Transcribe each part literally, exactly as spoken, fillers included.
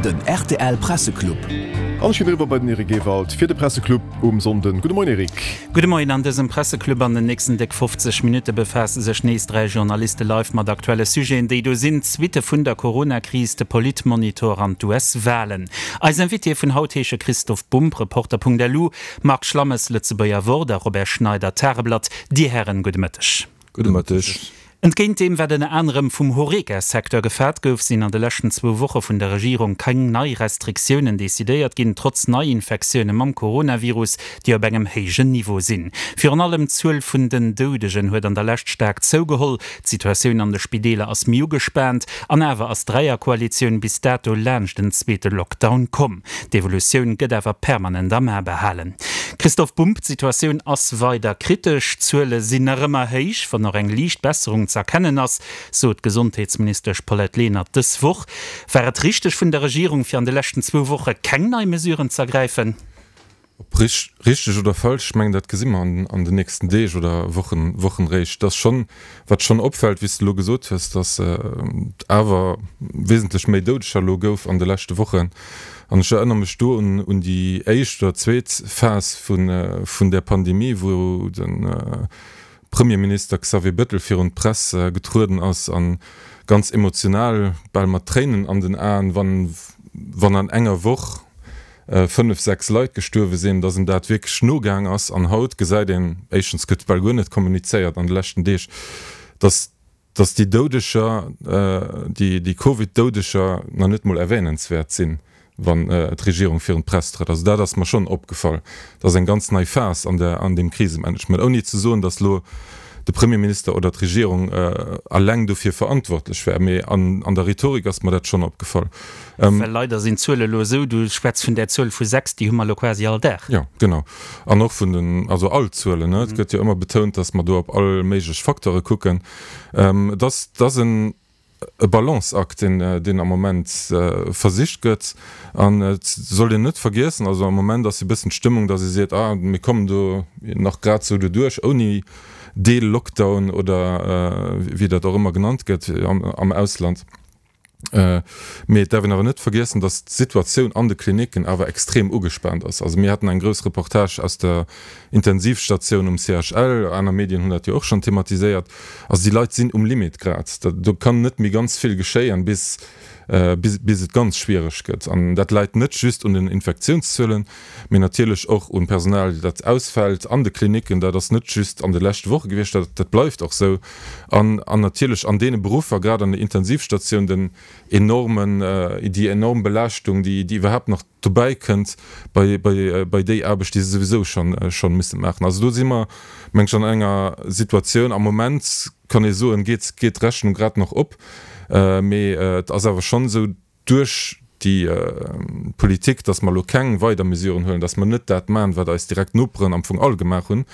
Den rtl Presseclub. An ech ginn eriwwer bei den Eric Ewald fir de Presseclub um Sonnden. Gudde Moien Eric. Gudde Moien. An dësem Presseclub an den nächsten déck fofzeg Minutte befaasse sech nees dräi Journaliste live mat aktuelle Sujeten, déi do sinn, d'Suitte vun der Corona-Kris, de Politmonitor an d'US-Walen. Eis Invitéë vun haut heesche Christoph Bumb, Reporter.lu, Marc Schlammes, Lëtzebuerger Wort, a Robert Schneider, Tageblatt. Dir Hären, gudde Mëtteg. Gudde Mëtteg. Entgéint deem, wat ënner anerem vum Horeca-Secteur gefaart gouf, sinn an de leschten zwou Woche vun der Regierung keng nei Restriktiounen decidéiert ginn, trotz Neiinfektioune mam Coronavirus, déi op engem héijen Niveau sinn. Virun allem d'Zuel vun den Doudegen huet an der Lescht staark zougeholl. D'Situatioun an de Spideeler ass méi ugespaant. An awer ass d'Dräierkoalitioun bis dato laanscht en zweete Lockdown komm. D'Evolutioun gëtt awer permanent am A behalen. Christoph Bumb, D'Situatioun ass weider kritesch, d'Zuele sinn nach ëmmer héich, wann och eng liicht Besserung ze erkennen ass, sot d'Gesondheetsministesch Paulette Lenert dës Woch. War et richteg vun der Regierung, fir an de leschten zwou Woche keng nei Mesuren z'ergräifen? Ob richteg oder falsch, ech mengen, dat gesi mer an den nächsten Deeg oder Wochen, Wochen eréischt. Et ass schonn, wat schonn opfält, wéi s de elo gesot hues, datt et awer wesentlech méi Doudeger elo gouf an de leschte Wochen. An ech erënnere mech do un déi éischt oder zweet Phas vun där Pandemie, wou de Premierminister Xavier Bettel virun d'Press getrueden ass a ganz emotional, bal mat Tréinen an den Aen, wann an enger Woch fënnef, sechs Leit gestuerwe sinn, datt em dat wierklech nogaang ass. An haut gesäit een, éischtens gëtt bal guer net kommunizéiert an de leschten Deeg, datt datt déi Doudeger, déi Covid-Doudeger nach net mol erwähnenswäert sinn, wann d'Regierung virun d'Press trëtt. Also dat ass mer schonn opgefall. Dat ass eng ganz nei Phas an der, an deem Krisemanagement, ouni ze soen, datt elo de Premierminister oder d'Regierung alleng dofir verantwortlech wär. Mee an, an der Rhetorik ass mer dat schonn opgefall. Well leider sinn d'Zuele elo esou, du schwätz vun där Zuel vu sechs, déi hu mer elo quasi all Dag. Jo, genau. An och vun den, also all Zuelen, ne. Et gëtt jo ëmmer betount, datt mer do op all méiglech Facteure kucken. Et ass, et ass en e Balanceakt, deen, deen am Moment versicht gëtt. An et sollt een net vergiessen, also am Moment ass e bëssen d'Stëmmung, datt ee seet, ah, mir kommen do nach grad esou doduerch ouni Deel-Lockdown oder wéi dat och ëmmer genannt gëtt am Ausland. Mee et däerf een awer net vergiessen, datt d'Situatioun an de Klinicken awer extrem ugespaant ass. Also mir haten eng grouss Reportage aus der Intensivstatioun um C H L, aner Medien hunn dat jo och schonn thematiséiert. Also déi Leit sinn um Limit grad. Do kann net méi ganz vill geschéien, bis bis et ganz schwiereg gëtt. An dat läit net just un den Infektiounszuelen, mee natierlech och un Personal, dat ausfält an de Klinicken. Dat ass net just an de leschte Woche gewiescht, dat dat bleift och sou. An an natierlech an deene Beruffer, grad an der Intensivstatioun, den enormen, déi enorm Belaaschtung, déi déi iwwerhaapt nach dobäi kënnt bei bei bei déi Aarbecht, déi se souwisou schonn schonn musse maachen. Also do si mer, meng ech, an enger Situatioun, am Moment kann ee soen, geet geet d'Rechnung grad nach op. Mee et ass awer schonn esou, duerch déi Politik, datt mer elo keng weider Mesuren huelen, datt mer net dat maachen, wat eis direkt Noperen am Fong all gemaach hunn,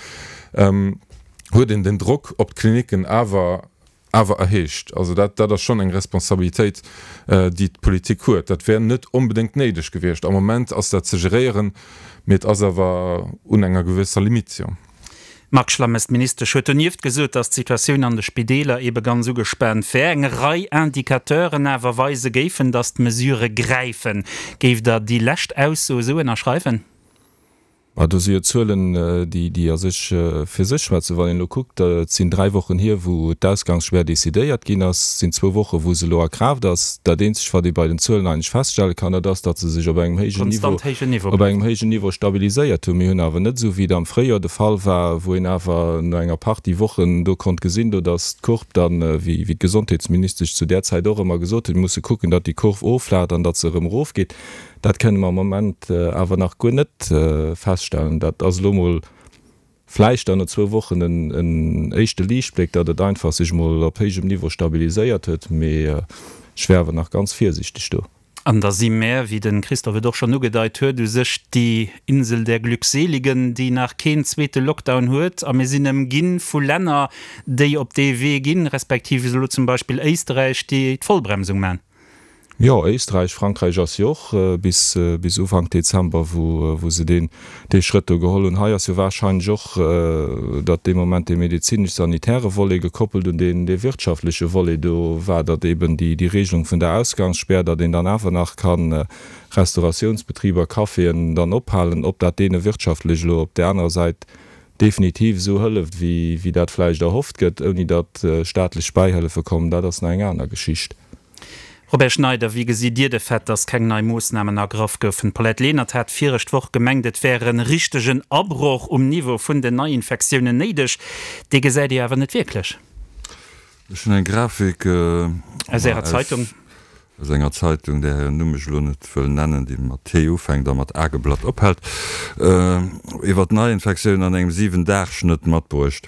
huet een den Drock op d'Klinicken awer awer erhéicht. Also dat dat ass schonn eng Responsabilitéit, déi d'Politik huet. Dat wär net onbedéngt néideg gewiescht. Am Moment ass dat ze geréieren, mee et ass awer un enger gewësser Limite, jo. Marc Schlammes, D'Ministesch huet donieft gesot, datt d'Situatioun an de Spideeler ebe ganz ugespaant wär. Eng Rei Indicateuren awer weise géifen, datt d'Mesurë gräifen. Géift Der déi lescht Ausso esou ënnerschreiwen? Ma do si jo Zuelen, déi a sech fir sech schwätzen. Wann een elo kuckt, et sinn dräi Wochen hier, wou d'Ausgangsspär decidéiert ginn ass, et sinn zwou Wochen, wou se elo a Kraaft ass. Dat Eenzegt, wat ee bei den Zuelen eigentlech feststelle kann, dat ass, datt se sech op engem héijen Niveau, op engem héijen Niveau stabiliséiert hunn. Mir hunn awer net, esou wéi et am Fréijoer de Fall war, wou een awer no enger Partie Wochen do konnt gesinn, do datt d'Courbe dann, wéi d'Gesondheetsministesch zu där Zäit och ëmmer gesot huet, mir musse kucken, datt déi Kurv offlacht an datt se erëm erofgeet. Dat kënne mer am Moment awer nach guer net feststellen. Dat ass elo emol vläicht dann no zwou Wochen en éischte Liichtbléck, datt et einfach sech emol op héijem Niveau stabiliséiert huet, mee ech wär awer nach ganz virsiichteg do. An da si mär, wéi de Christophe et och schonn ugedeit huet, u sech déi Insel der Glückseligen, déi nach keen zweete Lockdown huet. A mir sinn ëmginn vu Länner, déi op dee Wee ginn, respektiv elo zum Beispill Éisterräich, déi d'Vollbremsung maachen. Jo, Éisträich, Frankräich ass jo och bis bis Ufank Dezember, wou wou se deen dee Schrëtt do geholl hunn. Hei ass jo warscheinlech och, datt dee Moment dee medezinesch-sanitäre Volet gekoppelt un deen dee wirtschaftleche Volet do war, datt eeben déi déi Regelung vun der Ausgangsspär, datt een dann awer nach ka Restauratiounsbetriber, Caféen dann ophalen, ob dat deene wirtschaftlech elo op där anerer Säit definitiv esou hëlleft, wéi wéi dat vläicht erhofft gëtt, ouni datt staatlech Bäihëllefe kommen, dat ass nach eng aner Geschicht. Robert Schneider, Wéi gesitt Dir de Fait, datt keng nei Moossnamen ergraff goufen? D'Paulette Lenert hat viregt Woch gemengt, et wär e richtegen Abroch um Niveau vun den Neiinfektiounen néideg. Dee gesäit Dir awer net wierklech. Ech hunn eng Grafik aus Ärer Zeitung. Aus enger Zeitung, där hiren Numm ech elo net wëll nennen, déi mat T ufänkt a mat Ageblatt ophält, iwwer d'Neiinfektiounen an engem Siwen-Dag-Schnëtt matbruecht.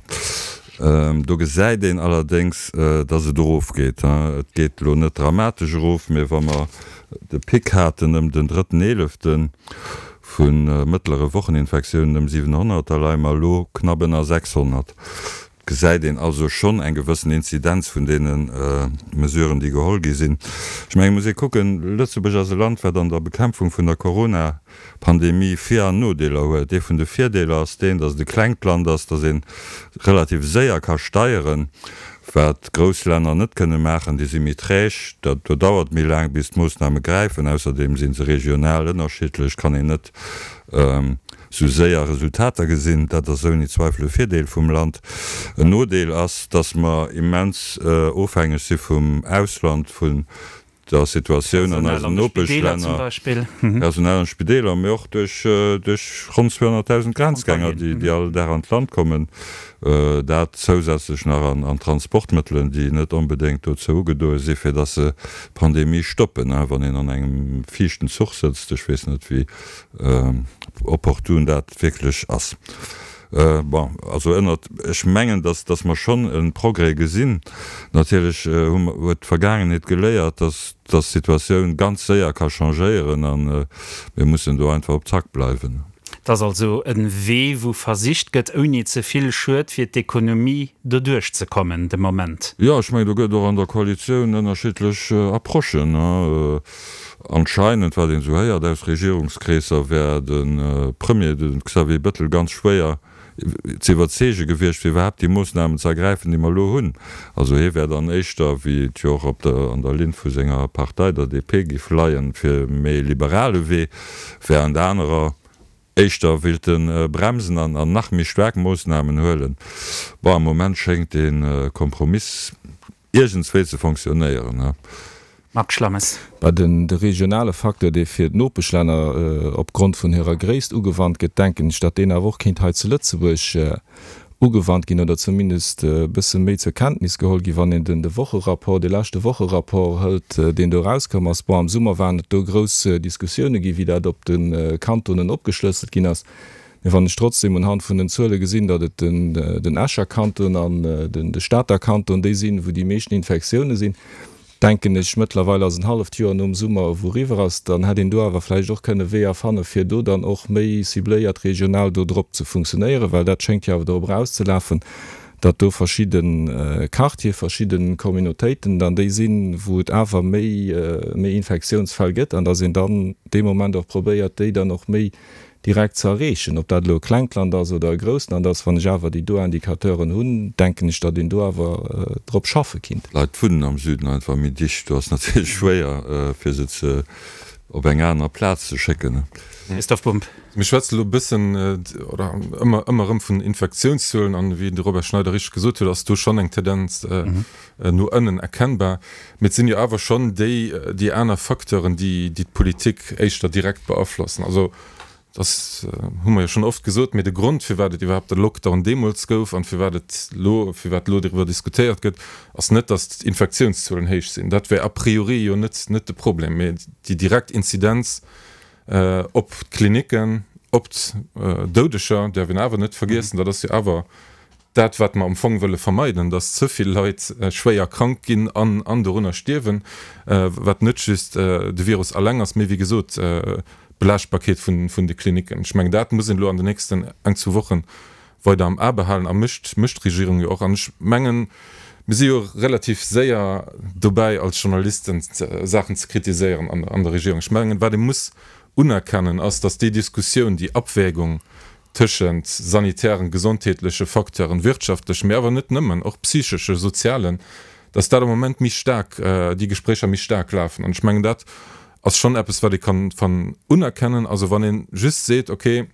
Do gesäit een allerdéngs, dass et erofgeet. Et geet elo net dramatesch erof, mee wa mer de Pic haten ëm den drëtten Eelefte vu mëttlere Wocheninfektiounen ëm siwenhonnert, da leie mer elo knapp ënner sechshonnert. Gesäit een also schonn eng gewëssen Inzidenz vun deene Mesuren, déi geholl gi sinn. Ech mengen, et muss ee kucken, Lëtzebuerg ass e Land, wat an der Bekämpfung vun der Corona-Pandemie Vir an Nodeeler huet. Ee vun de Virdeeler ass deen, datt et e klengt Land ass, datt ee relativ séier ka steieren, wat grouss Länner net kënne maachen. Déi si méi träg, dat do dauert méi laang, bis d'Moossname gräifen. Ausserdeem si se regional ënnerschiddlech, kann een net sou séier Resultater gesinn. Dat ass ouni Zweifel e Virdeel vum Land. En Nodeel ass, dass mer immens ofhängeg si vum Ausland, vun der Situatioun an eisen Nopeschlänner, Personal an Spideeler, mee och duerch ronn zweehonnertdausend Grenzgänger, déi all Dag an d'Land kommen. Dat zousätzlech nach an Transportmëttelen, déi net onbedéngt dozou ugedoe si fir dass se d'Pandemie stoppen. Wann een an engem fiichten Zuch sëtzt, ech weess net wéi opportun dat wierklech ass. Bon, also ënnert, ech mengen, dass dass mer schonn e Progrès gesinn. Natierlech hu mer, huet d'Vergaangenheet geléiert, dass dass d'Situatioun ganz séier ka changéieren a mir mussen do einfach op Zack bleiwen. Et ass also e Wee, wou versicht gëtt, ouni ze vill Schued fir d'Ekonomie doduerch ze kommen de Moment. Jo, ech mengen, do gëtt et och an der Koalitioun ënnerschiddlech Approchen. Anscheinend, wat een esou héiert aus Regierungskreesser, wär de Premier, de Xavier Bettel, ganz schwéier ze iwwerzeege gewiescht, fir iwwerhaapt déi Moossnamen ze ergräifen, déi mer elo hunn. Also hie wär dann éischter, wéi et jo och op der, an der Linn vu senger Partei, der D P, géif leien, fir e méi liberale Wee, während anerer éischter wéilte bremsen an nach méi staark Moossnamen huelen. Bon, am Moment schéngt dee Kompromiss iergendswéi ze fonctionnéieren. Marc Schlammes. Bah, den de regionale Facteur, dee fir d'Nopeschlänner opgrond vun hirer Gréisst ugewannt gëtt, denken ech, datt deen awer och kéint hei zu Lëtzebuerg ugewannt ginn oder zumindest e bësse méi zur Kenntnis geholl ginn, wann een den de Wocherapport, dee leschte Wocherapport hëlt, deen do erauskomm ass. Bon, am Summer waren et do grouss Diskussioune ginn, wéi dat op de Kantonen opgeschlësselt ginn ass. Mee wann ech trotzdem unhand vun den Zuele gesinn, datt et den den Escher Kanton an den de Stater Kanton déi sinn, wou déi meeschten Infektioune sinn, denken ech, mëttlerweil ass en halleft Joer nom Summer ewou eriwwer ass, dann hätt een do awer vläicht och kënne Weeër fanne fir do dann och méi cibléiert regional do drop ze funktionéieren, well dat schéngt jo awer dorop erauszelafen, datt do verschidde Quartiere, verschidde Communautéiten dann déi sinn, wou et awer méi méi Infektiounsfäll gëtt an datt een dann dee Moment och probéiert, déi dann och méi direkt ze erreechen. Ob dat elo e klengt Land ass oder e grousst Land ass, wann ech awer déi do Indicateuren hunn, denken ech, datt een do awer drop schaffe kinnt. D'Leit wunnen am Süden einfach méi dicht, do ass natierlech schwéier fir se ze op eng aner Plaz ze schécken. Christoph Bumb. Mir schwätzen elo e bëssen oder ëmmer ëmmer erëm vun Infektiounszuelen an wéi de Robert Schneider richteg gesot huet, ass do schonn eng Tendenz no ënnen erkennbar. Mee et sinn jo awer schonn déi déi aner Facteuren, déi déi d'Politik éischter direkt beaflossen. Also dat hu mer jo schonn oft gesot, mee de Grond, firwat et iwwerhaapt de Lockdown deemools gouf an firwat et elo, firwat elo doriwwer diskutéiert gëtt, ass net, datt d'Infektiounszuelen héich sinn. Dat wär a priori jo net, net de Problem, mee déi direkt Inzidenz op d'Klinicken, op d'Doudeger däerf een awer net vergiessen. Dat ass jo awer dat, wat mer am Fong wëlle vermeiden, datt ze vill Leit schwéier krank ginn an an dorunner stierwen, wat net just de Virus alleng ass, mee wéi gesot d'Belaaschtbarkeet vun vun de Klinicken. Ech mengen, dat muss een elo an den nächsten eng, zwou Woche weider am A behalen a mécht mécht d'Regierung jo och. An ech mengen, Mir si jo relativ séier dobäi als Journalisten Saachen ze kritiséieren an der Regierung. Ech mengen, wat ee muss unerkennen, ass, datt déi Diskussioun, déi Abwägung tëschent sanitären, gesondheetleche Facteuren, wirtschaftlechen, mee awer net nëmmen, och psychesche, sozialen, datt dat am Moment méi staark, déi Gespréicher méi staark lafen. An ech mengen, dat ass schonn eppes, wat ee kann unerkennen. Also wann ee just seet, okay,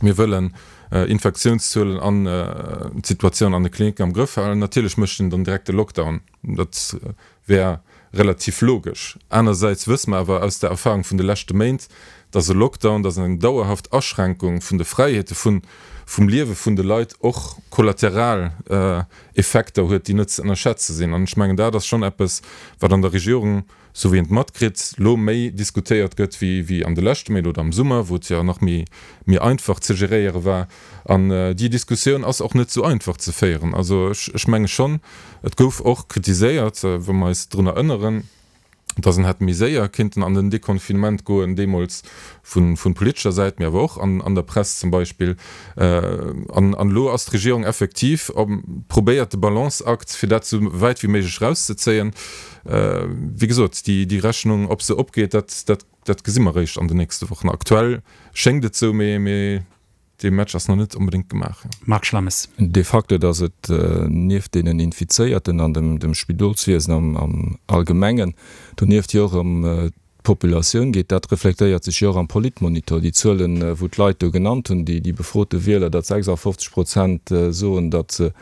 mir wëllen Infektiounszuelen an d'Situatioun an de Klinicken am Grëff halen, natierlech mécht een dann direkt de Lockdown. Dat wär relativ logesch. Anersäits wësse mer awer aus der Erfahrung vun de leschte Méint, dass e Lockdown, dass eng dauerhaft Aschränkung vun de Fräiheete vun, vum Liewe vun de Leit och kollateral Effekter huet, déi net ze ënnerschätze sinn. An ech mengen, dat ass schonn eppes, wat an der Regierung, sou wéi een et matkritt, lo méi diskutéiert gëtt wéi an de leschte Méint oder am Summer, wou et jo nach méi einfach ze geréiere war. An déi Diskussioun ass och net sou einfach ze féieren. Also ech menge schonn, et gouf och kritiséiert, wa mer eis drun erënneren, dass en hätt méi séier kinnten an den Deconfinement goen, deemools vu politescher Säit, mee awer och an der Press zum Beispill. An elo ass d'Regierung effektiv, probéiert de Balanceakt, fir dat esou wäit wéi méiglech erauszezéien. Wéi gesot, déi Rechnung, ob se opgeet, dat gesi mer eréischt an den nächste Wochen. Aktuell schéngt et esou, mee dee Match ass nach net onbedéngt gemaach. Marc Schlammes. De facto, datt et nieft deenen Infizéierten an dem Spidolswiesen am Allgemengen donieft jo och ëm d'Populatioun geet, dat reflektéiert sech jo och am Politmonitor. Déi Zuelen, wou d'Leit do genannt hunn, déi befrote Wieler, datt sechsafofzeg Prozent soen, datt se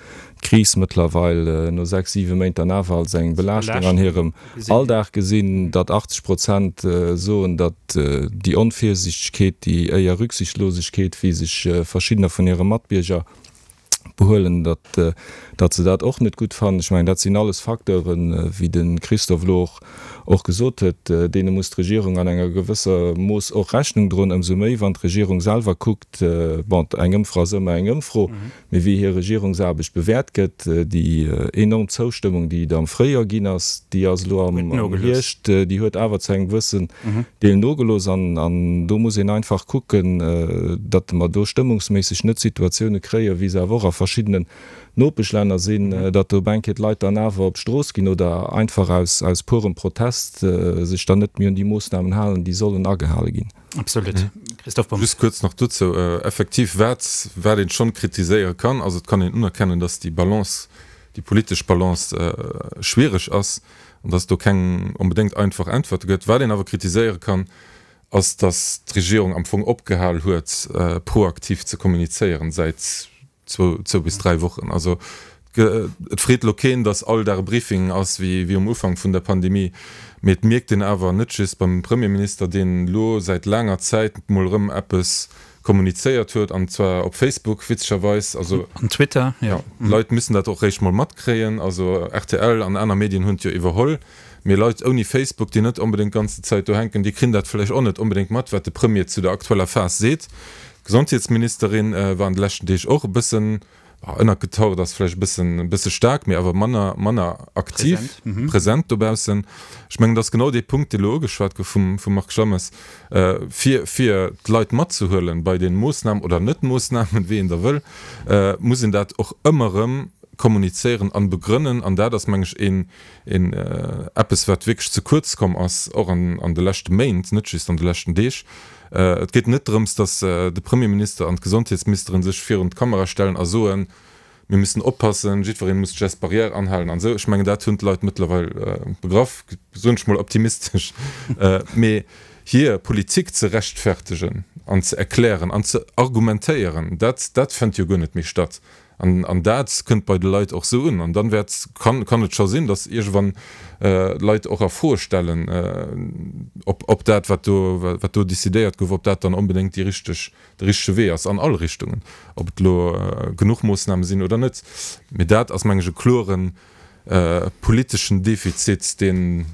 d'Kris mëttlerweil no sechs, siwe Méint dann awer als eng Belaaschtung an hirem Alldag gesinn, datt achtzeg Prozent soen, datt déi Onvirsichtegkeet, déi éier Rücksichtslosegkeet, wéi sech verschiddener vun hire Matbierger behuelen, datt datt se dat och net gutt fannen. Ech mengen, dat sinn alles Facteuren, wéi de Christophe elo och och gesot huet, deene muss d'Regierung an enger gewësser Mooss och Rechnung droen, ëmsou méi wann d'Regierung selwer kuckt, bon, eng Ëmfro ass ëmmer eng Ëmfro, mee wéi hir Regierungsaarbecht bewäert gëtt. Déi enorm Zoustëmmung, déi et am Fréijoer ginn ass, déi ass elo am Hierscht, déi huet awer zu engem gewëssen Deel nogelooss. An do muss een einfach kucken, datt mer do stëmmungsméisseg net Situatioune kréien, wéi se awer och a verschiddenen Nopeschlänner sinn, datt do op eng Kéier d'Leit dann awer op d'Strooss ginn oder einfach aus aus purem Protest sech dann net méi un déi Moossnamen halen, déi sollen agehale ginn. Absolut. Christoph Bumb. Just kuerz nach dozou, Effektiv, wat wat een schonn kritiséiere kann, ass, et kann een unerkennen, datt déi Balance, déi politesch Balance schwiereg ass an datt et do keng onbedéngt einfach Äntwerte gëtt. Wat een awer kritiséiere kann, ass, datt d'Regierung am Fong opgehal huet, proaktiv ze kommunizéieren säit zwou, zwou bis dräi Wochen. Also et freet elo keen, datt all Dag e Briefing ass wéi um Ufank vun der Pandemie, mee et mierkt een awer net just beim Premierminister, deen elo säit laanger Zäit mol erëm eppes kommunizéiert huet, an zwar op Facebook witzegerweis. Also an Twitter, jo. D'Leit müssen dat och réischt mol matkréien. Also rtl an aner Medien hunn et jo iwwerholl, mee Leit ouni Facebook, déi net onbedéngt d'ganze Zäit do hänken, déi kréien dat vläicht och net onbedéngt mat, wat de Premier zu der aktueller Phas seet. D'Gesondheetsministerin war an de leschten Deeg och e bëssen, ënnergetaucht ass vläicht e bëssen, e bësse staark, mee awer manner, manner aktiv, present dobaussen. Ech mengen, dat ass genau dee Punkt, dee elo ugeschwat gouf vum, vum Marc Schlammes, fir, fir d'Leit matzehuelen bei de Moossnamen oder Net-Moossnamen, wéi een da wëll, muss een dat och ëmmer erëm kommunizéieren an begrënnen. An dat ass, meng ech, een, een eppes, wat wierklech ze kuerz komm ass, och an, an de leschte Méint, net just an de leschten Deeg. Et geet net drëms, datt de Premierminister an d'Gesondheetsministeren sech virun d'Kamera stellen a soen, mir müssen oppassen, jiddweree muss d'Gestes barrières anhalen an esou. Ech mengen, dat hunn d'Leit mëttlerweil begraff, soen ech mol optimistesch. Mee hir Politik ze rechtfertegen an ze erklären an ze argumentéieren, dat, dat fënnt jo guer net méi statt. An, an dat kënnt bei de Leit och esou un. An dann wäert, kann, kann et scho sinn, datt iergendwann d'Leit och a Froe stellen, ob, ob dat, wat do, wat do decidéiert gouf, ob dat dann onbedéngt déi richteg, de richtege Wee ass an all Richtungen, ob et elo genuch Moossname sinn oder net. Mee dat ass, meng ech, e kloren politeschen Defizit, deen,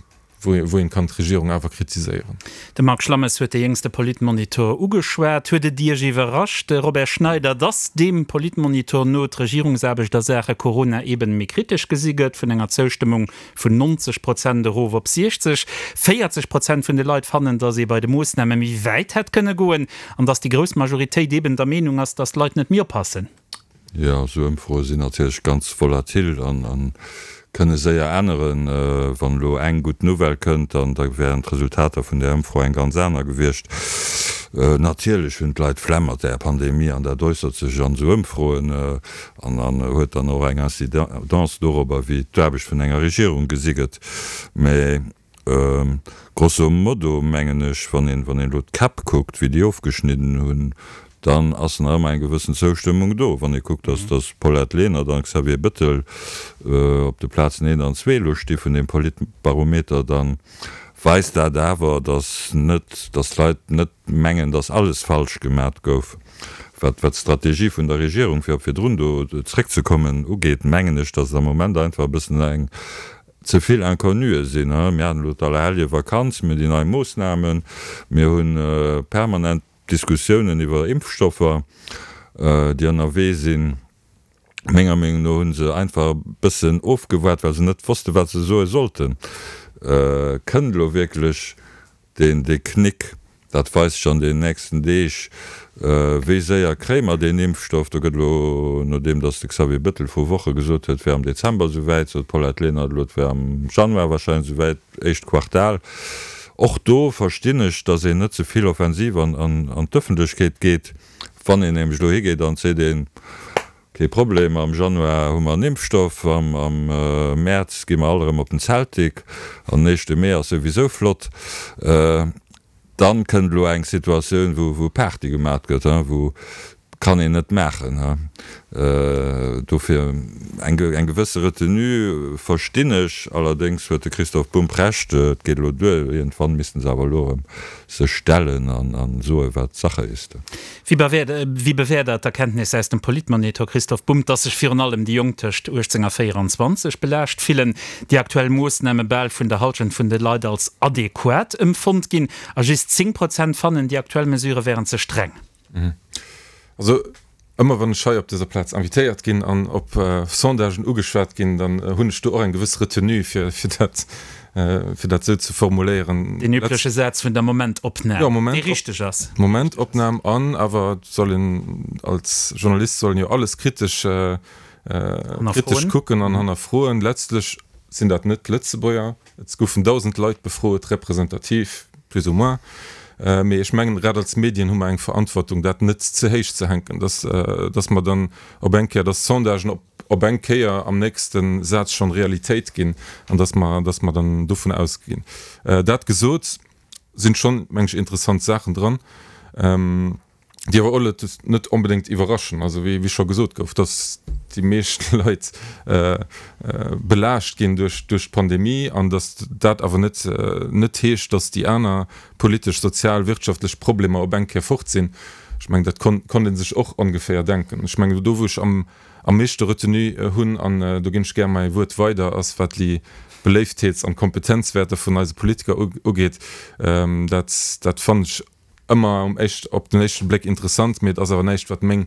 wou een kann d'Regierung awer kritiséieren. De Marc Schlammes huet de jéngste Politmonitor ugeschwat. Huet et Iech iwwerrascht, Robert Schneider, datt deem Politmonitor no d'Regierungsaarbecht a Saache Corona eben méi kritesch gesi gëtt, vun enger Zoustëmmung vun neunzeg Prozent erof op siechzeg? véierzeg Prozent vun de Leit fannen, datt ee bei de Moossname méi wäit hätt kënne goen an datt déi grouss Majoritéit eben der Meenung ass, datt d'Leit net méi oppassen. Jo, esou Ëmfroe sinn natierlech ganz volatil an kënne séier änneren. Wann elo eng gutt Nouvelle kënnt, dann da wären d'Resultater vun där Ëmfro eng ganz aner gewiescht. Natierlech hunn d'Leit d'Flemm mat där Pandemie an dat äussert sech an esou Ëmfroen an an huet dann och eng Incidence dorobber, wéi d'Aarbecht vun enger Regierung gesi gëtt. Mä grosso modo mengen ech, wann een wann een elo d'Käpp kuckt, wéi déi ofgeschnidden hunn, dann ass nach ëmmer eng gewëssen Zoustëmmung do. Wann ee kuckt, dass dass Paulette Lenert an Xavier Bettel op de Plazen eent an zwee elo sti vun deem Politbarometer, da weist dat awer, dass net, dass d'Leit net mengen, dass alles falsch gemat gouf. Wat wat d'Strategie vun der Regierung, fir op virdrun do zréckzekommen, ugeet, mengen ech, dass et am Moment einfach e bëssen eng ze vill Inconnuë sinn. Mir haten elo d'Allerhelljevakanz, mir hunn déi nei Moossnamen, mir hu permanent Diskussiounen iwwer Impfstoffer, déi ënnerwee sinn. Menger Meenung no hu se einfach e bëssen ofgewaart, well se net wosste wat se soe sollten. Kënnt elo wierklech deen dee Knick? Dat weist sech an den nächsten Deeg. Wéi séier kréie mer deen Impfstoff? Do gëtt elo, nodeem datt de Xavier Bettel vru Woche gesot huet, et wär am Dezember esouwäit, sot d'Paulette Lenert elo, et wär am Januar wahrscheinlech esouwäit, éischt Quartal. Och do verstinn ech, datt een net ze vill offensiv an d'Ëffentlechkeet geet. Wann een nämlech elo higeet an seet een, Kee Problem, am Januar hu mer en Impfstoff, am Mäerz gi mer all erëm op den Zeltik an den éischte Mee ass souwisou flott, dann kënnt elo eng Situatioun, wou Party gemat gëtt, wou kann een net maachen. Dofir eng gewësse Retenue verstinn ech. Allerdéngs huet de Christoph Bumb Recht, et geet elo duer, iergendwann missten se awer elo erëm sech stellen a soe wat Sache ist. Wéi bewäert Der d'Erkenntnis aus dem Politmonitor, Christoph Bumb, datt sech virun allem déi Jonk tëscht uechtzéng a véieranzwanzeg belaascht fillen, déi aktuell Moossname bal vun der Hallschent vun de Leit als adequat empfonnt ginn a just zéng Prozent fannen, déi aktuell Mesurë wären ze streng? Also ëmmer wann ech hei op dëser Plaz invitéiert ginn an op Sondagen ugeschwat ginn, dann hunn ech do och eng gewëss Retenue, fir dat, fir dat esou ze formuléieren. Deen übleche Saz vun der Momentopnam, dee richteg ass. Momentopnam an awer et soll een als Journalist soll een jo alles kritesch, kritesch kucken an hannerfroen. Letztlech sinn dat net d'Lëtzebuerger. Et goufen dausend Leit befrot, representativ plus ou moins. Mee ech mengen, grad als Medien hu mer eng Verantwortung, dat net ze héich ze hänken, dass, dass mer dann op eng Kéier, dass d'Sondagen op, op eng Kéier am nächste Saz schonn Realitéit ginn an dass mer, dass mer dann dovun ausginn. Dat gesot, sinn schonn, meng ech, interessant Saachen dran. Déi awer och net onbedéngt iwwerraschen. Also wéi scho gesot gouf, datt déi meescht Leit belaascht ginn duerch d'Pandemie an datt dat awer net net heescht, datt déi aner politesch, sozial, wirtschaftlech Problemer op eng Kéier fort sinn. Ech mengen, dat konnt ee sech och ongeféier denken. Ech mengen, do wou ech am meeschte Retenue hunn, an do ginn ech gär mäi Wuert weider, ass wat déi Beléiftheets an Kompetenzwäerter vun eise Politiker ugeet. Dat dat fannen ech ëmmer um éischt, op den éischte Bléck interessant, mee et ass awer näischt, wat meng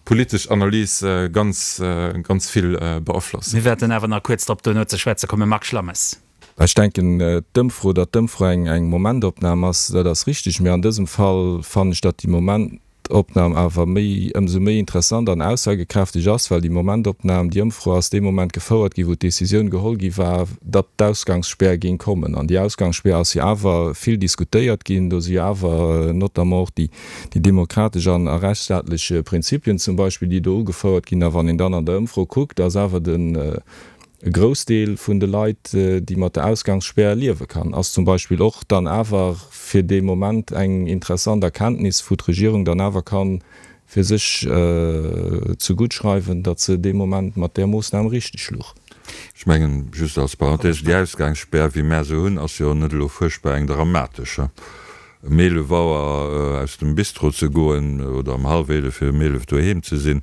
politesch Analys ganz, ganz vill beaflosst. Mir wäerten awer nach kuerz drop duerno ze schwätze kommen. Marc Schlammes. Ech denken, d'Ëmfro, datt d'Ëmfro eng, eng Momentopnam ass, dat ass richtig. Mee an dësem Fall fannen ech, datt déi Momentopnam awer méi, ëmsou méi interessant an aussagekräfteg ass, well déi Momentopnam, déi Ëmfro ass dee Moment gefouert ginn, wou d'Décisioun geholl gi war, datt d'Ausgangsspär géing kommen. An déi Ausgangsspär ass jo awer vill diskutéiert ginn. Do si jo awer notamment och déi demokratesch an a rechtsstaatlech Prinzipien zum Beispill, déi do ugefouert ginn. A wann een dann an der Ëmfro kuckt, ass awer den e Groussdeel vun de Leit, déi mat der Ausgangsspär liewe kann, ass zum Beispill och dann awer fir dee Moment eng interessant Erkenntnis, wou d'Regierung dann awer ka fir sech zegutt schreiwen, datt se dee Moment mat där Moossnam richteg luch. Ech mengen, just als Parenthèse, déi Ausgangsspär, wéi mär se hunn, ass jo net elo fuerchtbar eng dramatesch. Ëm eelef Auer aus dem Bistro ze goen oder ëm hallef eelef fir ëm eelef doheem ze sinn,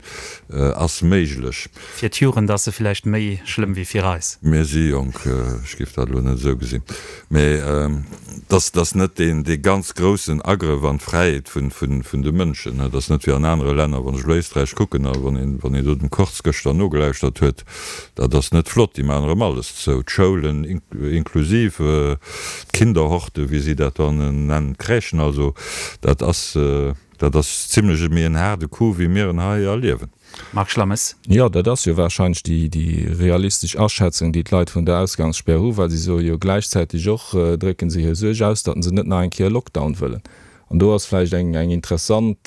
ass méiglech. Fir d'Jugend ass se villäicht méi schlëmm wéi fir eis. Mir si jonk, ech géif dat elo net esou gesinn. Mee dass ass net deen dee ganz groussen Agrëff an d'Fräiheet vun de Mënschen. Et ass net wéi an anere Länner, wann ech elo Éisträich kucken a wann een wann een do dem Kurz gëschter nogelauschtert huet, dat ass net flott, déi maachen erëm alles zou, d'Schoulen inklusiv, d'Kinderhorte wéi si dat dann nennen, d'Crèchen, also dat ass, Dat ass zimlech e méi en haarde Coup, wéi mir en hei erliewen. Marc Schlammes. Jo, dat ass jo warscheinlech déi, déi realistesch Aschätzung, déi d'Leit vun der Ausgangsspär hu, well si soe jo gläichzäiteg och, drécke se hir Suerg aus, datt se net nach eng Kéier e Lockdown wëllen. An do ass vläicht eng, eng interessant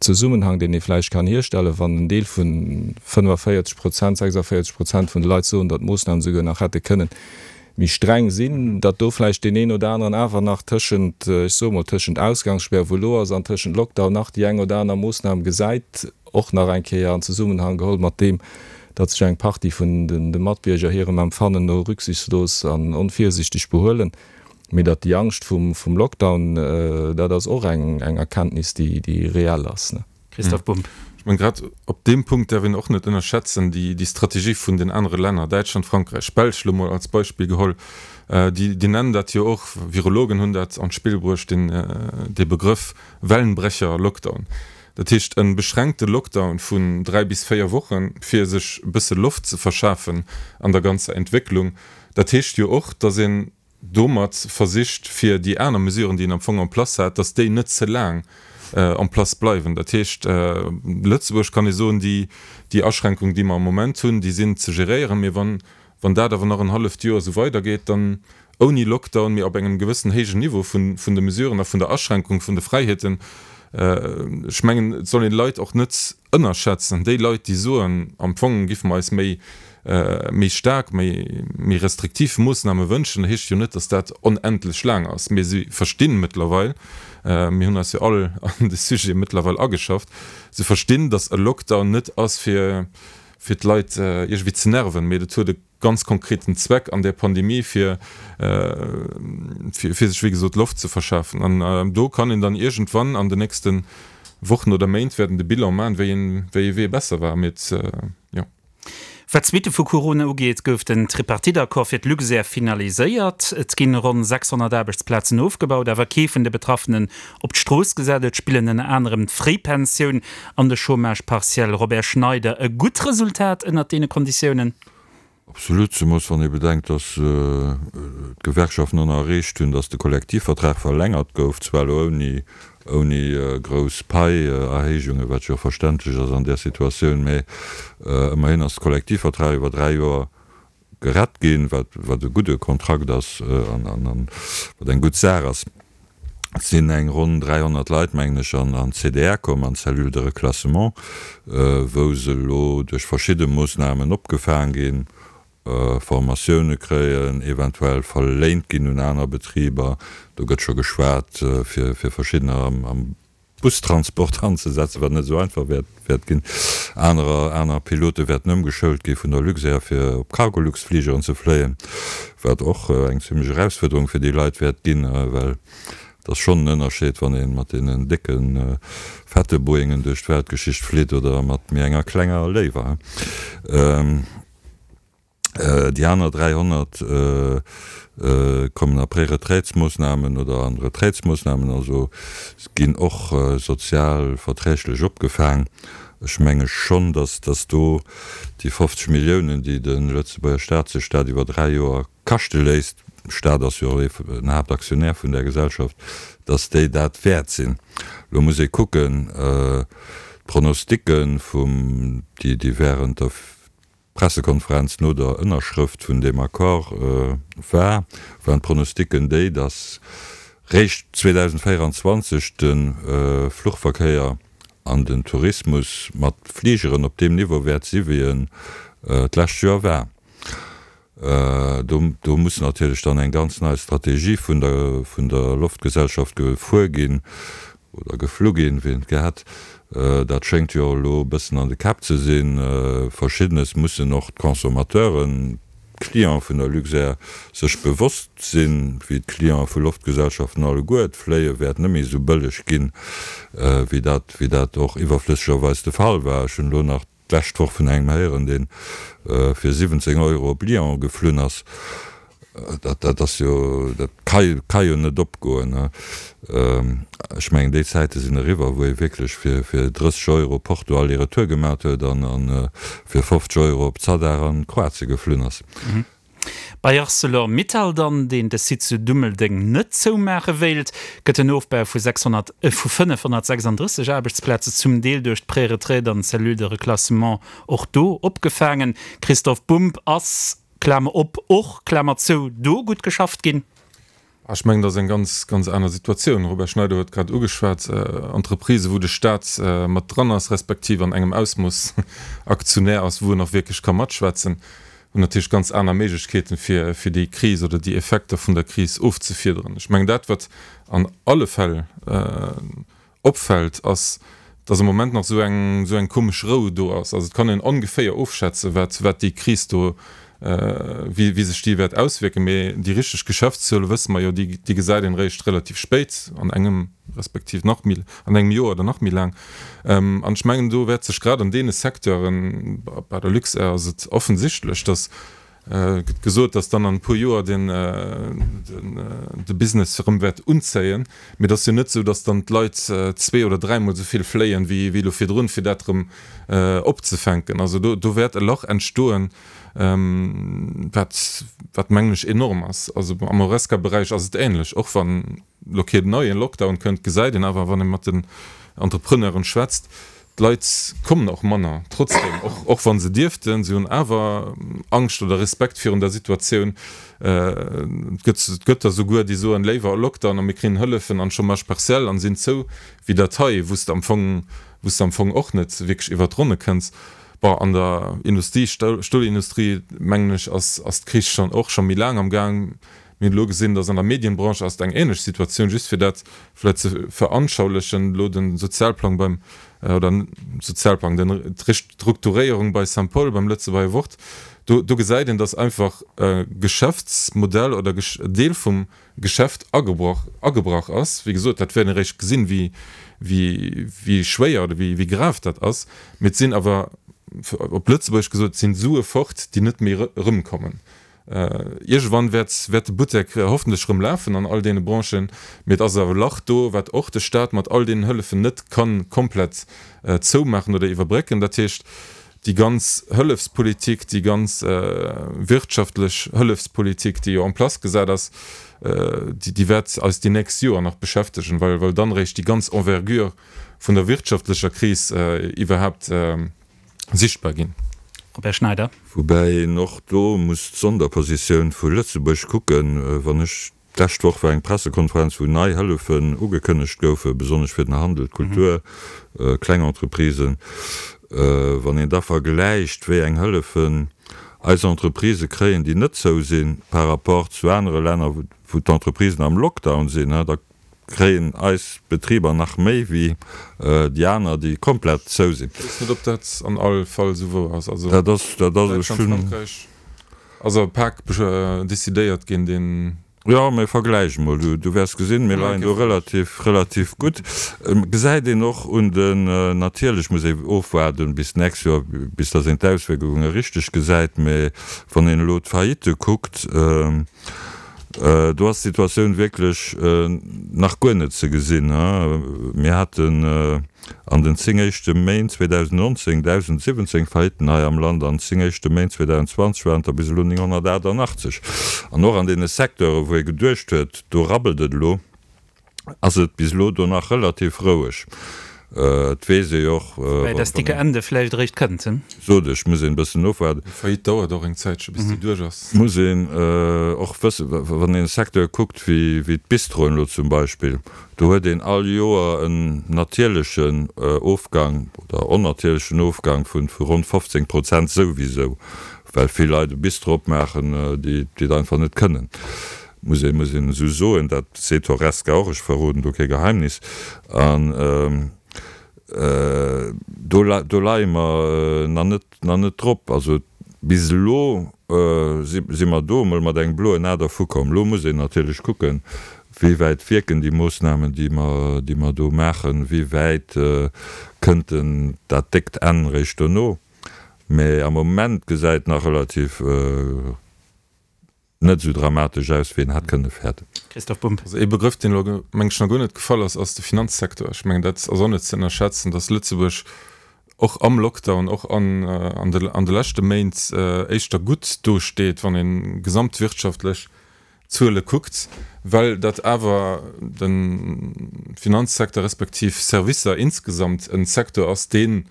Zesummenhang, deen ee vläicht kann hierstellen, wann en Deel vu fënnefenvéierzeg Prozent, sechsundvéierzeg Prozent vun de Leit soen, datt d'Moossnamen esouguer nach hätte kënnen méi streng sinn, datt do vläicht deen een oder aneren awer nach tëschent, ech soe mol, tëschent Ausgangsspär, wou elo ass, an tëschent Lockdown nach déi eng oder aner Moossnam gesäit, och nach eng Kéier an Zesummenhang geholl mat deem, datt sech eng Partie vun de Matbierger hirem Empfannen no rücksichtslos an onvirsichteg behuelen. Mee datt déi Angscht vum Lockdown, dat ass och eng Erkenntnis, déi reell ass. Christoph Bumb. Ech mengen, grad op deem Punkt däerf een och net ënnerschätzen déi Strategie vun den anere Länner, Däitschland, Frankräich, Belsch elo mol als Beispill geholl, déi déi nennen dat jo och, Virologen hunn dat an d'Spill bruecht, deen dee Begrëff Wellenbrecher-Lockdown. Dat heescht e beschränkte Lockdown vun dräi bis véier Wochen, fir sech e bësse Loft ze verschafen an der ganzer Entwécklung. Dat heescht jo och, datt een domat versicht, fir déi aner Mesuren, déi een am Fong en place hat, datt déi net ze laang en place bleiwen. Dat heescht, Lëtzebuerg, kann ee soen, déi, déi Aschränkungen, déi mer am Moment hunn, déi sinn ze geréieren. Mee wann, wann dat awer nach en halleft Joer esou weidergeet, dann ouni Lockdown, mee op engem gewëssen héijen Niveau vun, vun de Mesuren a vun der Aschränkung vun de Fräiheeten, ech mengen, et soll een d'Leit och net ënnerschätzen, déi Leit, déi soen, am Fong giffe mer eis méi, méi staark, méi, méi restriktiv Moossname wënschen, heescht jo net, datt dat onendlech laang ass. Mee si verstinn mëttlerweil, mir hunn eis jo all an de Sujet mëttlerweil ageschafft, se verstinn, datt e Lockdown net ass, fir, fir d'Leit iergendwéi ze nerven, mee dat huet e ganz konkreten Zweck an där Pandemie, fir, fir, fir sech, wéi gesot, Loft ze verschafen. An do kann een dann iergendwann an den nächste Wochen oder Méint wäerten de Bilan maachen, wéi een, wéi ee Wee besser war. Mee et, jo. Wat d'Suitte vu Corona ugeet, gouf den Tripartite-Accord fir d'Luxair finaliséiert. Et ginn ronn sechshonnert Aarbechtsplazen ofgebaut, awer kee vun de Betraffenen op d'Strooss gesat. Et spillen ënner anerem d'Fréipensioun an de Chômage partiel. Robert Schneider, E gutt Resultat ënnert deene Konditiounen? Absolut, zemoos wann ee bedenkt, datt d'Gewerkschaften och nach erreecht hunn, datt de Kollektivvertrag verlängert gouf, zwar elo ouni ouni grouss Paierhéijungen, wat jo och verständlech ass an där Situatioun, mä ëmmerhin ass de Kollektivvertrag iwwer dräi Joer gerett ginn, wat wat e gudde Kontrakt ass an wat eng gutt Saach ass. Et sinn eng ronn dräihonnert Leit, mengen ech, an d'C D R komm, an d'Cellule de reclassement, wou se elo duerch verschidde Moossnamen opgefaang ginn, Formatioune kréien, eventuell verléint ginn un aner Betriber. Do gëtt scho geschwat, fir verschiddener am Bustransport anzesetzen, wat net esou einfach wäert ginn. Anerer, aner Pilote wäerten ëmgeschoult gi vun der Luxair, fir op Cargolux-Fligeren ze fléien, wat och eng zimlech Erausfuerderung fir déi Leit wäert ginn, well et ass schonn en Ënnerscheed, wann ee mat deenen décke fette Boeingen duerch d'Weltgeschicht flitt oder mat méi enger klenger Léiwer. Déi aner dräihonnert kommen a Préretraitsmoossnamen oder an Retraitsmoossnamen, also ginn och sozial verträglech opgefaang. Ech menge schonn, datt datt do déi fofzeg Milliounen, déi de Lëtzebuerger Staat sech dat iwwer dräi Joer kaschte léisst, Staat ass jo och en Haaptaktionär vun där Gesellschaft, datt déi dat wäert sinn. Elo muss ee kucken, d'Pronosticken vum, déi déi während der Pressekonferenz no der Ënnerschrëft vun deem Accord war, waren d'Pronosticken déi, datt réischt zweedausendvéierundzwanzeg de Fluchverkéier an den Tourismus mat Fligeren op deem Niveau wäert si wéi en d'lescht Joer war. Do do muss natierlech dann eng ganz nei Strategie vun der vun der Loftgesellschaft gefuer ginn oder geflu ginn, wéi een et gär hätt. Dat schéngt jo elo e bëssen an de Käpp ze sinn. Verschiddenes mussen och d'Consommateuren, d'Cliente vun der Luxair sech bewosst sinn, wéi d'Cliente vu Loftgesellschaften alleguer. D'Fléie wäert net méi esou bëlleg ginn, wéi dat wéi dat och iwwerflëssegerweis de Fall war. Ech hunn elo nach d'lescht Woch vun engem héieren, dee fir siwwenzéng Euro op Lyon geflunn ass. Dat, dat ass jo, dat ka, ka jo net opgoen. Ech mengen, déi Zäite sinn eriwwer, wou ee wierklech fir, fir drësseg Euro Porto aller-retour gemaat huet an, an fir fofzeg Euro op Zadar an Kroatie geflunn ass. Bei Arcelor Mittal dann, deen de Site zu Dummeldeng net zoumaache wéilt, gëtt en Ofbau vu sechshonnert, vu fënnefhonnertsechsanddrësseg Aarbechtsplaze zum Deel duerch d'Préretraite an d'Cellule de reclassement och do opgefaangen. Christoph Bumb, Ass, Klamer op, och, Klamer zou, do gutt geschafft ginn? Ech mengen, dat ass eng ganz, ganz aner Situatioun. Robert Schneider huet grad ugeschwat, Entreprisë wou de Staat mat dran ass, respektiv an engem Ausmooss Aktionär ass, wou en och wierklech ka matschwätzen, hunn natierlech ganz aner Méiglechkeeten, fir, fir déi Kris oder déi Effekter vun der Kris ofzefiederen. Ech mengen, dat wat an alle Fäll opfält, ass, dass am Moment nach esou eng, esou eng komesch Rou do ass. Also et kann een ongeféier ofschätzen, wat, wat déi Kris do, wéi, wéi sech déi wäert auswierken. Mee déi richteg Geschäftszuele wësse mer jo, déi, déi gesäit een eréischt relativ spéit an engem, respektiv nach méi, an engem Joer oder nach méi laang. An ech mengen, do wäert sech grad an deene Secteuren, bei der Luxair ass et offensichtlech, dass, Et gëtt gesot, datt dann an e puer Joer den de Business erëm wäert unzéien. Mee et ass jo net esou, datt dann d'Leit zwee oder dräimol esou vill fléien, wéi elo virdrun, fir dat erëm opzefänken. Also do do wäert e Lach entstoen, wat wat mengen ech enorm ass. Also am Horesca-Beräich ass et änlech. Och wann elo keen neie Lockdown kënnt, gesäit een awer, wann ee mat den Entrepreneuren schwätzt, D'Leit kommen och manner trotzdem, och och wa se dierften. Si hunn awer Angscht oder Respekt virun der Situatioun. Et gëtt et gëtt der souguer, déi soen, léiwer e Lockdown a mir kréien Hëllefen an Chômage partiel an sinn zou, wéi dat hei, wou s de am Fong wou s de am Fong och net wierklech iwwert d'Ronne kënns. Bon, an der Industrie, Stolindustrie, mengen ech, ass ass d'Kris schonn och scho méi laang am Gaang. Mir hunn elo gesinn, dass an der Medienbranche ass et eng ähnlech Situatioun, just fir dat vläicht ze veranschaulichen, elo de Sozialplang beim, oder Sozialplang, den, d'Restrukturéierung bei Saint-Paul, beim Lëtzebuerger Wort, do, do gesäit een, dass einfach e Geschäftsmodell oder e Deel vum Geschäft agebrach, agebrach ass. Wéi gesot, dat wäert een eréischt gesinn, wéi, wéi, wéi schwéier oder wéi, wéi grav dat ass. Mee et sinn awer, op Lëtzebuergesch gesot, et sinn Sue fort, déi net méi erëmkommen. Iergendwann wäert wäert de Buttek hoffentlech erëm lafen an all deene Branchen, mee et ass awer e Lach do, wat och de Staat mat all deenen Hëllefen net ka komplett zoumaachen oder iwwerbrécken. Dat heescht, déi ganz Hëllefspolitik, déi ganz wirtschaftlech Hëllefspolitik, déi jo en place gesat ass, déi wäert eis déi nächst Joer nach beschäftegen, well well dann eréischt déi ganz Envergure vun der wirtschaftlecher Kris iwwerhaapt sichtbar ginn. Robert Schneider. Woubäi een och do muss d'Sonderpositioun vu Lëtzebuerg kucken. Wann ech, d'lescht Woch war eng Pressekonferenz, wou nei Hëllefen ugekënnegt goufen, besonnesch fir den Handel, d'Kultur, kleng Entreprisen. Wann een da vergläicht, wéi eng Hëllefen eis Entreprisë kréien, déi net zou sinn, par rapport zu anere Länner, wou d'Entreprisen am Lockdown sinn, da kréien eis Betriber nach méi wéi déi aner, déi komplett zou sinn. Ech weess net, ob dat an all Fall esou wouer ass. Also Dat ass, dat ass, ech Däitschland, hunn. Frankräich ass e Pak decidéiert ginn, deen. Jo, mä vergläich emol, du, du wäers gesinn, mir leien do relativ, relativ gutt. Gesäit een och un den, natierlech muss ee ofwaarden bis d'nächst Joer, bis datt een d'Auswierkunge richteg gesäit, mä wann een elo d'Faillitte kuckt, Do ass d'Situatioun wierklech nach guer net ze gesinn. Mir haten an den zéng éischte Méint zweedausendnonzéng dausendsiwwenzéng Faillitten hei am Land, an den zéng éischte Méint zweedausendzwanzeg waren et der bis elo nénghonnertaachtanachtzeg. An och an deene Secteure wou ee geduecht huet, do rabbelt et elo, ass et bis elo do nach relativ roueg. Et weess ee jo och, Woubäi das dicke Ende vläicht eréischt kënnt. Sot ech, muss een e bëssen ofwaarden. Eng Faillite dauert och eng Zäitche bis déi duerch ass. Muss een och wëssen, wann een e Secteur kuckt wéi d'Bistroen elo zum Beispill, do huet een all Joer en natierlechen Ofgang oder onnatierlechen Ofgang vu ronn fofzéng Prozent souwisou, well vill Leit e Bistro opmaachen, déi et einfach net kënnen. Muss ee muss een esou soen, dat seet d'Horesca och, ech verroden do kee Geheimnis. An do do leie mer nach net nach net drop. Also bis elo si si mer do emol mat engem bloen A dervukomm. Elo muss een natierlech kucken, wéi wäit wierken déi Moossnamen, déi mer déi mer do maachen, wéi wäit kënnt den dat déckt Enn réischt dono. Mä am Moment gesäit nach relativ net esou dramatesch aus, wéi een hätt kënne fäerten. Christoph Bumb. Also ee Begrëff, deen elo, meng ech, nach guer net gefall ass, ass de Finanzsektor. Ech mengen, dat ass och net ze ënnerschätzen, datt Lëtzebuerg och am Lockdown, och an an de an de leschte Méint éischter gutt dosteet, wann ee gesamtwirtschaftlech Zuele kuckt, well dat awer de Finanzsecteur respektiv Servicer insgesamt e Secteur ass, deen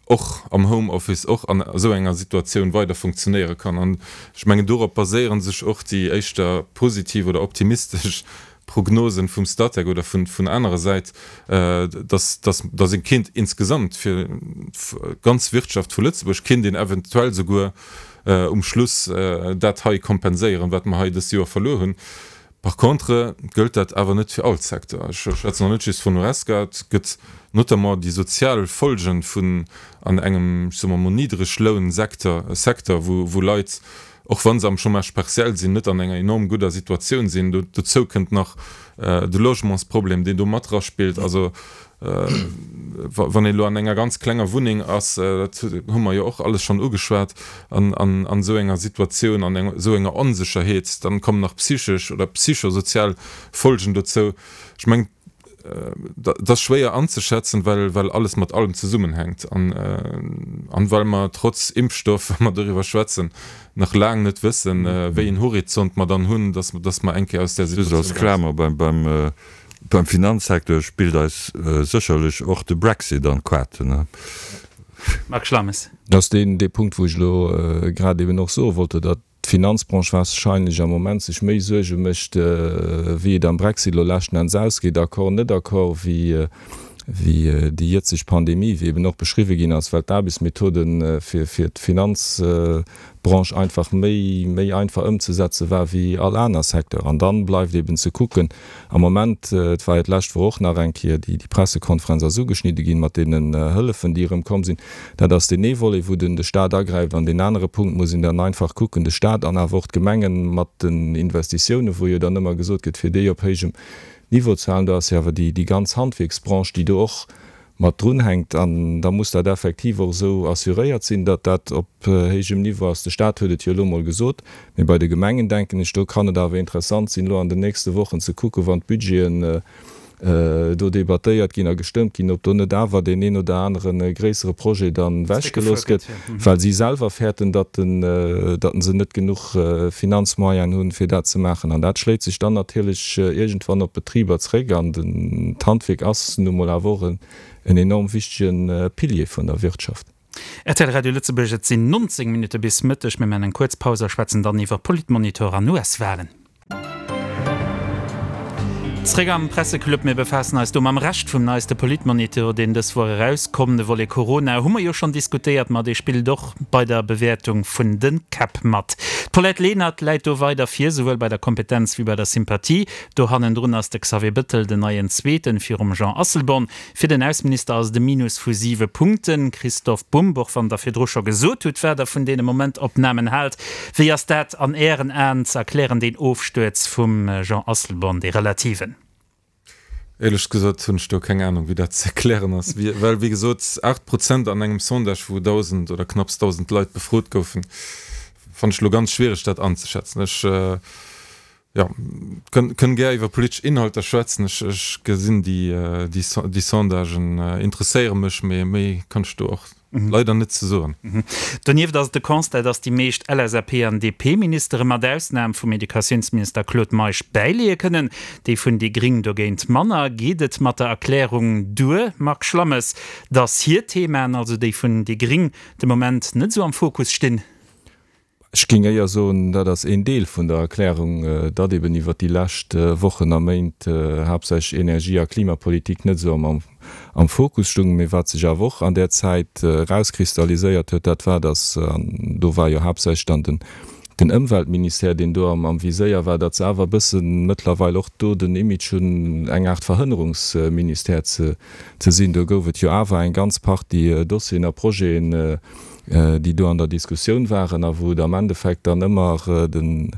och am Homeoffice, och an esou enger Situatioun weider funktionéiere kann. An ech mengen, dorop baséiere sech och déi éischter positiv oder optimistesch Prognosen vum Statec oder vun anerer Säit, dass dass ee kéint insgesamt fir d'ganz Wirtschaft vu Lëtzebuerg kéint een eventuell souguer um Schluss dat hei kompenséieren, wat mer hei dëst Joer verluer hunn. Par contre gëllt dat awer net fir all Secteur. Ech schwätzen och net just vun Horesca. Et gëtt notamment déi sozial Folgen vun an engem, ech soe mer mol, Niddreglounsecteur, Secteur, wou Leit, och wa se am Chômage partiel sinn, net an enger enorm gudder Situatioun sinn. Dozou kënnt nach de Logementsproblem, deen do mat eraspillt. Also wann een elo an enger ganz klenger Wunneng ass, dat hu mer jo och alles schonn ugeschwat, an esou enger Situatioun, an esou enger Onsécherheet, dann kommen nach psychesch oder psychosozial Folgen dozou. Ech mengen, dat ass schwéier anzeschätzen, well well alles mat allem zesummenhänkt an an well mer trotz Impfstoff, wa mer doriwwer schwätzen, nach laang net wëssen, wéi een Horizont mer dann hunn, dass dass mer eng Kéier aus där Just Situatioun als eraus Klamer, beim beim beim Finanzsecteur spillt eis sécherlech och de Brexit an d'Kaarten, ne? Marc Schlammes. Dat ass deen dee Punkt, wou ech elo grad eben och soe wollte, datt d'Finanzbranche wahrscheinlech am Moment sech méi Suerge mécht, wéi et am Brexit elo leschten Enns ausgeet, Accord, net Accord, wéi déi jëtzeg Pandemie, wéi eben och beschriwwe ginn ass, well d'Aarbechtsmethode fir d'Finanzbranche einfach méi méi einfach ëmzesetze war wéi all aner Secteur. An dann bleift eben ze kucken, am Moment, et war jo d'lescht Woch och nach eng Kéier déi Pressekonferenz ass ugeschnidde ginn mat deenen Hëllefen, déi erëm komm sinn, Dat ass deen ee Volet, wou den de Stat agräift. An deen anere Punkt muss een dann einfach kucken, de Stat an awer och d'Gemengen mat den Investitiounen, wou jo dann ëmmer gesot gëtt, fir déi op héijem Niveau ze halen. Do ass jo awer déi déi ganz Handwierksbranche, déi do och mat drunhänkt. An da muss dat effektiv och esou assuréiert sinn, datt dat op héijem Niveau ass. De Stat huet et jo elo emol gesot. Mee bei de Gemengen, denken ech, do kann et awer interessant sinn, elo an den nächste Wochen ze kucken, wann d'Budgeten do debattéiert ginn a gestëmmt ginn, ob do net awer deen een oder anere gréissere Projet dann ewechgelooss gëtt, well si selwer fäerten, datt se net genuch Finanzmoyenen hunn, fir dat ze maachen. An dat schléit sech dann natierlech iergendwann op d'Betriber zréck. An d'Handwierk ass nu mol awer och en enorm wichtege Pilier vun der Wirtschaft. Rtl Radio Lëtzebuerg, Et sinn nonzéng Minutte bis Mëtteg. Mir maachen eng kuerz Paus a schwätzen dann iwwer Politmonitor an U S-Walen. Zréck am Presseclub. Mir befaassen eis do mam Rescht vum neiste Politmonitor, deen dës Woch erauskomm. De Volet Corona hu mer jo schonn diskutéiert, ma dee spillt och bei der Bewäertung vun de Käpp mat. D'Paulette Lenert läit do weider vir, souwuel bei der Kompetenz wéi bei der Sympathie. Do hannendrun ass de Xavier Bëttel den neien Zweeten, virum Jean Asselborn. Fir den Ausseminister ass et e Minus vu siwe Punkten. Christophe Bumb, och wann Der virdru scho gesot hutt, wat Der vun deene Momentopnamen haalt, wéi ass dat an Ären Aen ze erklären, deen Ofstuerz vum Jean Asselborn, dee relativen? Éierlech gesot hunn ech do keng Anung, wéi dat ze erklären ass, well wéi gesot aacht Prozent an engem Sondage, wou dausend oder knapps dausend Leit befrot goufen, fannen ech elo ganz schwiereg dat anzeschätzen. Ech, jo, kënn gär iwwer politesch Inhalter schwätzen, ech ech gesinn déi déi Sondagen interesséiere mech, mee méi kann ech do och leider net ze soen. Donieft ass et de Constat, datt déi meescht L S A P an D P-Ministere mat Ausnam vum Educatiounsminister Claude Meisch bäileeë kënnen, déi vun déi Gring dogéint manner. Geet et mat der Erklärung duer, Marc Schlammes, datt hir Themaen, also déi vun déi Gring, de Moment net esou am Fokus stinn? Ech géing éier soen, dat ass een Deel vun der Erklärung, datt eben iwwert déi lescht Wochen a Méint haaptsächlech Energie a Klimapolitik net esou am Fokus stoungen. Mee wat sech awer och an där Zäit erauskristalliséiert huet, dat war, datt, an do war jo haaptsächlech dann den Ëmweltministère, deen do am Viséier war, datt se awer e bësse mëttlerweil och do den Image hunn, eng Aart Verhënnerungsministère ze sinn. Do gouf et jo awer eng ganz Partie Dossieren a Projeten, déi do an der Diskussioun waren a wou et am Endeffekt dann ëmmer den,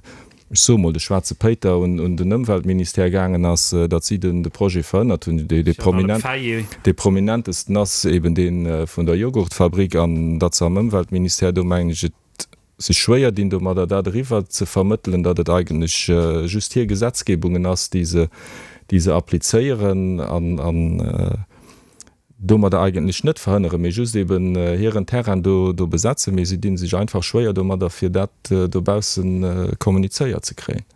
ech soe mol, de schwaarze Péiter un den Ëmweltministère gaangen ass, datt si den de Projet verhënnert hunn. Dee prominentesten ass eben dee vun der Joghurtfabrik an datt se am Ëmweltministère do, mengen ech, et sech schwéier dinn domadder, dat eriwwer ze vermëttelen, datt et eigentlech just hir Gesetzgebungen ass, déi se, déi se applizéieren an. domadder eigentlech net verhënneren, mee just eben hiren Terrain do do besetzen, mee si dinn sech einfach schwéier domadder, fir dat dobaussen kommunizéiert ze kréien.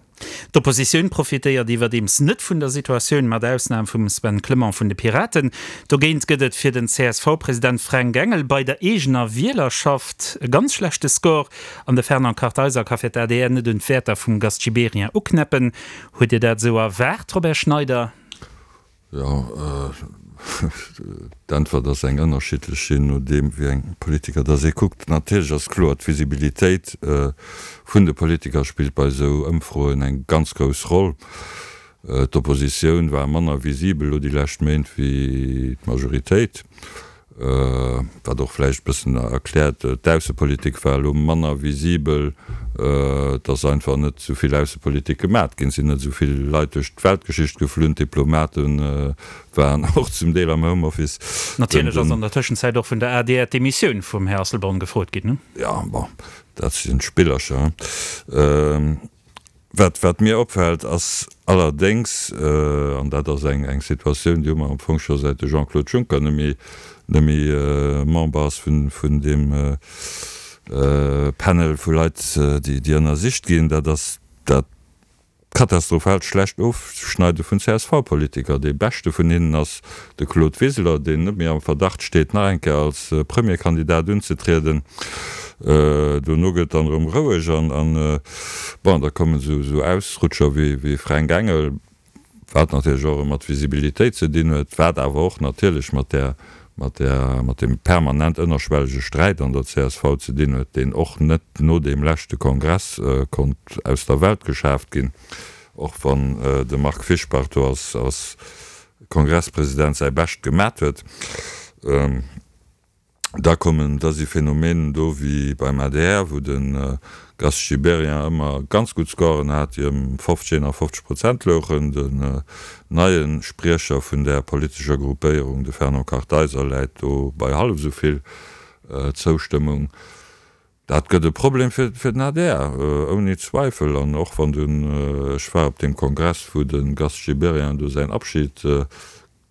D'Oppositioun profitéiert iwwerdeems net vun der Situatioun, mat Ausnam vum Sven Clement vun de Piraten. Dogéint gëtt et fir den C S V-President Fränk Engel bei der eegener Wielerschaft e ganz schlechte Score an de Fernand Kartheiser ka fir d'A D R net un d'Wäerter vum Gast Gibéryen uknäppen. Hutt Dir dat esou erwaart, Robert Schneider? Jo, d'Äntwert ass eng ënnerschiddlech, jee nodeem wéi eng Politiker dass ee kuckt. Natierlech ass kloer, d'Visibilitéit vun de Politiker spillt bei esou Ëmfroen eng ganz grouss Roll. D'Oppositioun war manner visibel elo déi lescht Méint wéi d'Majoritéit. Wat och vläicht e bëssen erkläert, d'Aussepolitik war elo manner visibel, et ass einfach net esou vill Aussepolitik gemat ginn, et sinn net esou vill Leit duerch d'Weltgeschicht geflunn, d'Diplomate waren och zum Deel am Homeoffice. Natierlech ass an der Tëschenzäit och vun der A D R d'Demissioun vum Här Asselborn gefrot ginn. Jo, bon, dat sinn Spillercher. Wat, wat mir opfält, ass allerdéngs, an dat ass eng, eng Situatioun, déi hu mer am Fong scho säit de Jean-Claude Juncker net méi, net méi Member ass vun, vun deem Panel vu Leit, déi, déi ënnersicht ginn, dat ass dat katastrophaalt schlecht Ofschneide vun C S V-Politiker. Dee beschte vun hinnen ass de Claude Wiseler, deen net méi am Verdacht steet, nach eng Kéier als Premierkandidat unzetrieden. Dono gëtt dann erëm roueg an, bon, da kommen esou Ausrutscher wéi Fränk Engel, wat natierlech och erëm mat Visibilitéit ze dinn huet, wat awer och natierlech mat där, mat där, mat deem permanent ënnerschwellege Sträit an der C S V ze dinn huet, deen och net no deem leschte Kongress konnt aus der Welt geschaaft ginn, och wann de Marc Fischbach do als, als Kongresspresident säi Bescht gemat huet. Da kommen, da si Phänomenen do wéi beim A D R, wou de Gast Gibéryen ëmmer ganz gutt Scoren hat, déi ëm fofzeg, eenafofzeg Prozent louchen. Den neie Spriecher vun där politescher Gruppéierung, de Fernand Kartheiser, läit do bei hallef esou vill Zoustëmmung. Dat gëtt e Problem fir den A D R, ouni Zweifel. An och wann den, ech war op deem Kongress, wou de Gast Gibéryen do säin Abschied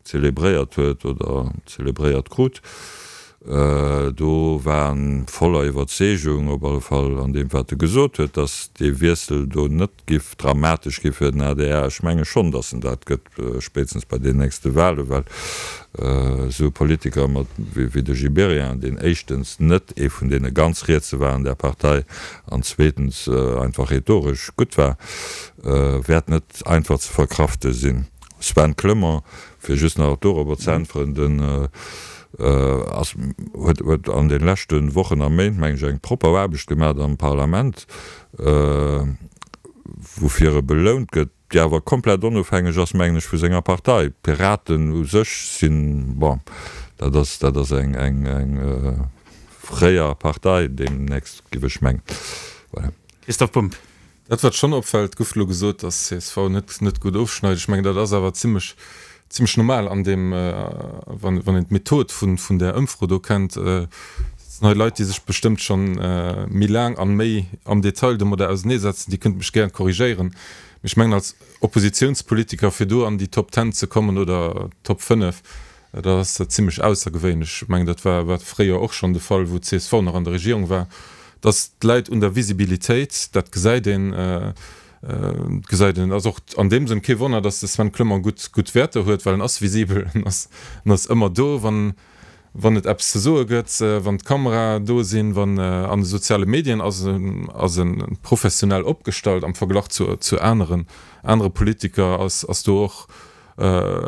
zelebréiert huet oder zelebréiert krut, do war en voller Iwwerzeegung, op alle Fall an deem wat e gesot huet, datt dee Wiessel do net giff dramatesch gi fir den A D R. Ech menge schonn, datt en dat gëtt, spéitstens bei den nächste Wahlen, well esou e Politiker mat wéi de Gibéryen, deen éischtens net ee vun deene ganz Rietse war an där Partei an zweetens einfach rhetoresch gutt war, wäert net einfach ze verkrafte sinn. Sven Clement, fir just nach dorobber ze äntweren, den ass, huet, huet an de leschte Wochen a Méint, meng ech, eng propper Aarbecht gemaach am Parlament, woufir e belount gëtt, déi awer komplett onofhängeg ass, mengen ech, vu senger Partei. D'Piraten u sech sinn, bon, dat ass, dat ass eng, eng, eng fréier Partei deemnächst, géif ech mengen. Voilà. Christoph Bumb. Dat wat schonn opfält, gouf elo gesot, datt C S V net net gutt ofschneit. Ech mengen, dat ass awer zimlech zimlech normal an deem, wann wann een d'Method vun vun där Ëmfro do kennt. Et sinn hei Leit, déi sech bestëmmt schonn méi laang an méi am Detail domadder auseneesetzen, déi kënnte mech gären korrigéieren. Mee ech mengen, als Oppositiounspolitiker fir do an déi Top Ten ze kommen oder Top fënnef, dat ass zimlech aussergewéinlech. Ech mengen, dat war war fréier och schonn de Fall, wou d'C S V nach an der Regierung war. Dass d'läit un der Visibilitéit, dat gesäit een, gesäit een. Et ass och an deem Sënn kee Wonner, dass de Sven Clement gutt, gutt Wäerter huet, well en ass visibel, en ass, en ass ëmmer do, wann, wann et eppes ze soe gëtt, wann d'Kamerae do sinn, wann an de soziale Medien ass en, ass e professionell opgestallt am Verglach zu, zu aneren, anere Politiker, ass, ass do och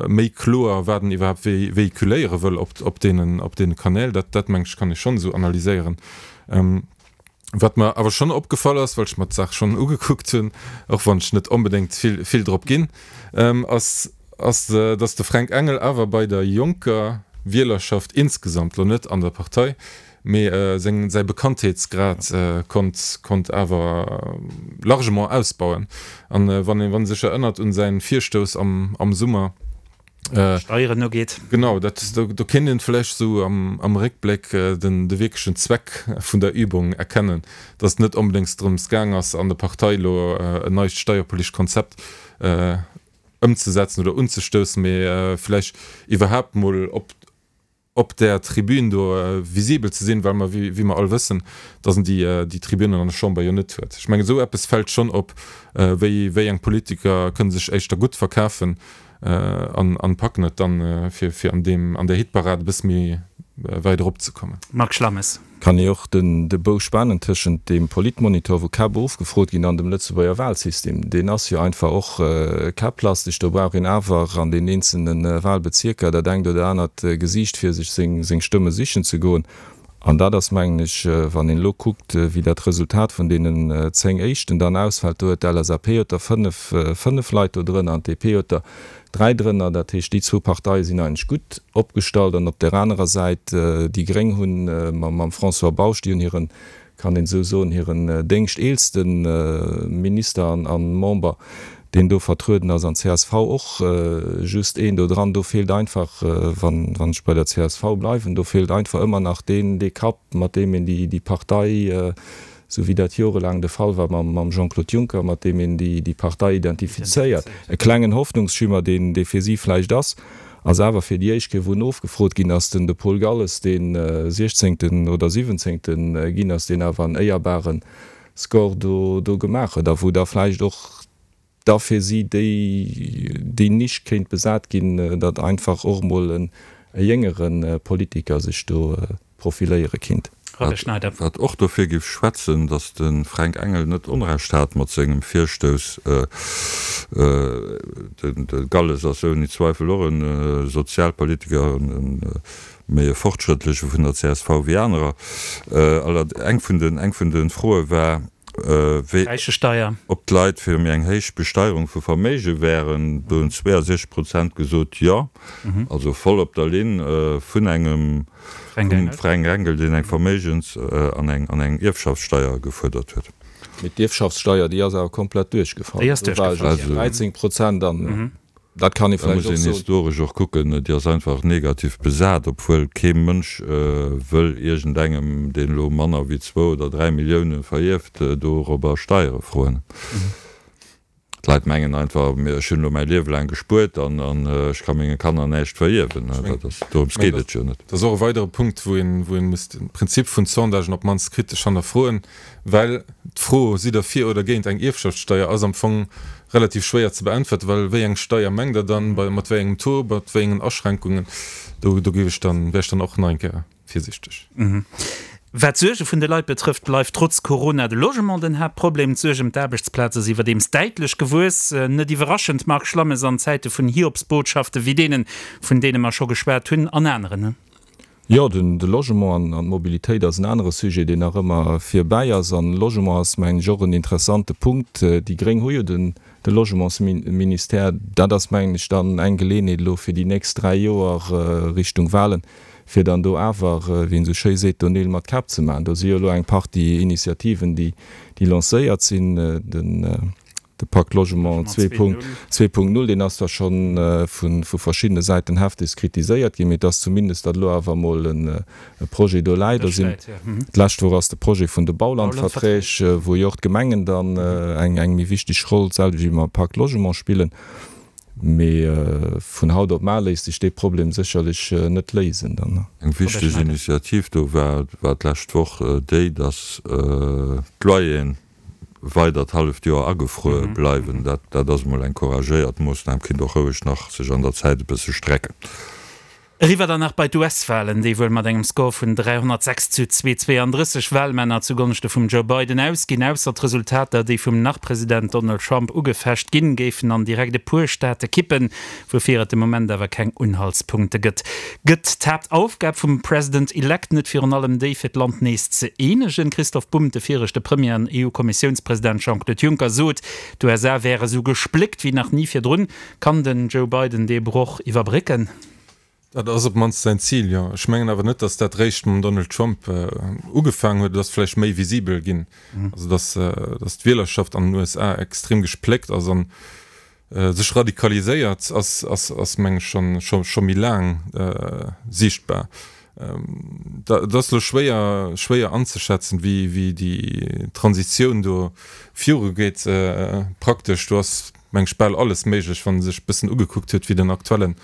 méi kloer, wat en iwwerhaapt véhiculéiere wëll op, op deenen, op deene Kanäl. Dat, dat meng ech, kann ee schonn esou analyséieren. Wat mer awer schonn opgefall ass, well ech mer d'Saach schonn ugekuckt hunn, och wann ech net onbedéngt vill, vill drop ginn, ass, ass, dass de Fränk Engel awer bei der jonker Wielerschaft insgesamt, lo net an der Partei, mee seng, säi Bekanntheetsgrad konnt, konnt awer largement ausbauen. An wann ee, wann ee sech erënnert un säin Virstouss am, am Summer, Steieren ugeet. Genau, dat, do, do kéint een vläicht esou am, am Réckbléck den, de wierklechen Zweck vun der Übung erkennen, dass et net onbedéngs drëms gaang ass, an der Partei elo en neit steierpolitescht Konzept ëmzesetzen oder unzestoussen, mee vläicht iwwerhaapt mol op, op där Tribün do visibel ze sinn, well mer, wéi mer all wëssen, dass en déi, déi Tribünen an der Chamber jo net huet. Ech mengen, esou eppes fält schonn op, wéi, wéi eng Politiker kënne sech éischter gutt verkafen an, an packen et dann, fir, fir an deem, an där Hitparad e bësse méi wäit eropzekommen. Marc Schlammes. Kann ee och den de Bou spanen tëschent deem Politmonitor, wou Käpp ofgefrot ginn, an dem Lëtzebuerger Wahlsystem. Deen ass jo einfach och käpplasteg. Do brauch een awer an den eenzelne Wahlbezierker dat engt oder anert Gesiicht, fir sech seng Stëmme sichen ze goen. An dat ass, mengen ech, wann een elo kuckt, wéi dat Resultat vun deenen zéng éischten dann ausfält, do huet d'LSAP huet der fënnef, fënnef Leit do drënner an d'DP huet der dräi drënner. Dat heescht, déi zwou Parteie sinn eigentlech gutt opgestallt. An op där anerer Säit, déi Gréng hunn mam François Bausch, déi hunn hiren, kann een esou soen, hiren déngschteelste Minister an Member, deen do vertrueden ass, an csv och just een do dran. Do feelt einfach, wann ech bei der csv bleiwen, do feelt einfach ëmmer nach deen, dee Kapp, mat deem een déi Partei, esou wéi dat jorelaang de Fall war mam Jean-Claude Juncker, mat deem een déi Partei identifizéiert. E klengen Hoffnungsschimmer, deen dee fir si vläicht ass, ass awer fir déi éischt Kéier, wou en ofgefrot ginn ass, den de Paul Galles, dee siechzéngten oder siwwenzéngte ginn ass, deen awer en éierbare Score do gemaach huet a wou da vläicht och da fir si déi déi Nisch kéint besat ginn, datt einfach och emol e jéngere Politiker sech do profiléiere kinnt. Robert Schneider. Wat och dofir géif schwätzen, datt de Fränk Engel net Onrecht hat mat sengem Virstouss. De Galles ass ouni Zweifel och e Sozialpolitiker, e méi e fortschrëttleche vun der csv wéi anerer. Eng vun de Froe war, wéi Räichesteier. Ob d'Leit fir méi eng héich Besteierung vu Verméige wären, do hunn zweeënsechzeg Prozent gesot jo, also voll op der Linn vun engem vum Fränk Engel, deen eng Verméigens an eng an eng Ierfschaftssteier gefuerdert huet. Mee d'Ierfschaftssteier, déi ass awer komplett duerchgefall. Déi ass duerchgefall, jo. Also dräizéng Prozent an. Dat kann ee Da muss vläicht och een soen. historesch och kucken, déi ass einfach negativ besat, obwuel kee Mënsch wëll iergendengem, deen elo manner wéi zwou oder dräi Millioune verierft, dorobber Steiere froen. D'Leit mengen einfach, ech hunn elo mäi Liewe laang gespuert an ech ka menge Kanner näischt verierwen. Dat ass, dorëms geet et jo net. Dat ass och e weidere Punkt, wou een, wou een muss de Prinzip vun Sondagen op d'mannst kritesch hannerfroen, well d'Fro, sidd Der fir oder géint eng Ierfschaftssteier, ass am Fong Relativ schwéier ze beäntwerten, well wéi eng Steier mengt Der dann, bei mat wéi engem Taux, mat wéi engen Aschränkungen? Do do géif ech dann, wär ech dann och nach eng Kéier virsichteg. Wat d'Suerge vun de Leit betrëfft, bleift trotz Corona de Logement den Haaptproblem. D'Suerg ëm d'Aarbechtsplaz ass iwwerdeems däitlech gewuess. Net iwwerraschend, Marc Schlammes, an Zäite vun Hiobsbotschafte wéi deenen, vun deene mer scho geschwat hunn, an aneren. Jo, den de Logement an d'Mobilitéit ass en anere Sujet, deen nach ëmmer virbäi ass. An Logement ass, mengen ech, och en interessante Punkt. Déi Gréng hu jo den de Logementsministère. Dat ass, mengen ech, dann eng Geleeënheet elo fir déi nächst dräi Joer Richtung Wahlen, fir dann do awer, wéi een esou schéi seet, do Neel mat Käpp ze maachen. Do si jo elo eng Partie Initiativen, déi déi lancéiert sinn. Den. De Pacte Logement zwee Punkt null, deen ass zwar scho vu verschiddene Säiten heftegst kritiséiert ginn, mee et ass zumindest, datt elo awer emol e Projet do läit. D'lescht Woch ass de Projet vun de Baulandverträg, wou jo och d'Gemengen dann eng méi wichteg Roll, d'selwecht wéi mam Pacte Logement, spillen. Mee vun haut op mar léisst sech dee Problem sécherlech net léisen. Eng wichteg Initiativ do war d'lescht Woch déi, datt d'Loyeren weidert halleft Joer agefruer bleiwen. Dat, dat ass emol eng couragéiert Moossnam, kinnt och roueg nach sech an der Zäit e bësse strecken. Eriwwer dann nach bei d'US-Walen, déi wuel mat engem Score vun dräihonnertsechs zu zweehunnertzweianddrësseg Walmänner zu Gonschte vum Joe Biden ausginn. Ausser d'Resultater, déi vum Nach-President Donald Trump ugefecht ginn, géifen an direkt e puer Staate kippen, woufir et de Moment awer keng Unhaltspunkte gëtt. Gëtt d'Haaptaufgab vum President-elect net virun allem déi, fir d'Land nees ze eenegen? Christoph Bumb, De viregte Premier an EU-Kommissiounspresident Jean-Claude Juncker sot, d'USA wäre sou gespléckt wéi nach ni virdrun. Kann den Joe Biden dee Broch iwwerbrécken? Dat ass op d'mannst säin Zil, jo. Ech mengen awer net, datt dat réischt mam Donald Trump ugefaangen huet. Et ass vläicht méi visibel ginn, also datt datt d'Wielerschaft an den USA extrem gespléckt ass an sech radikaliséiert, ass ass ass meng ech schonn scho scho méi laang siichtbar. Et ass elo schwéier schwéier anzeschätzen, wéi wéi déi Transitioun do virugeet praktesch. Do ass meng ech bal alles méiglech, wann ee sech e bëssen ugekuckt huet, wéi den aktuellen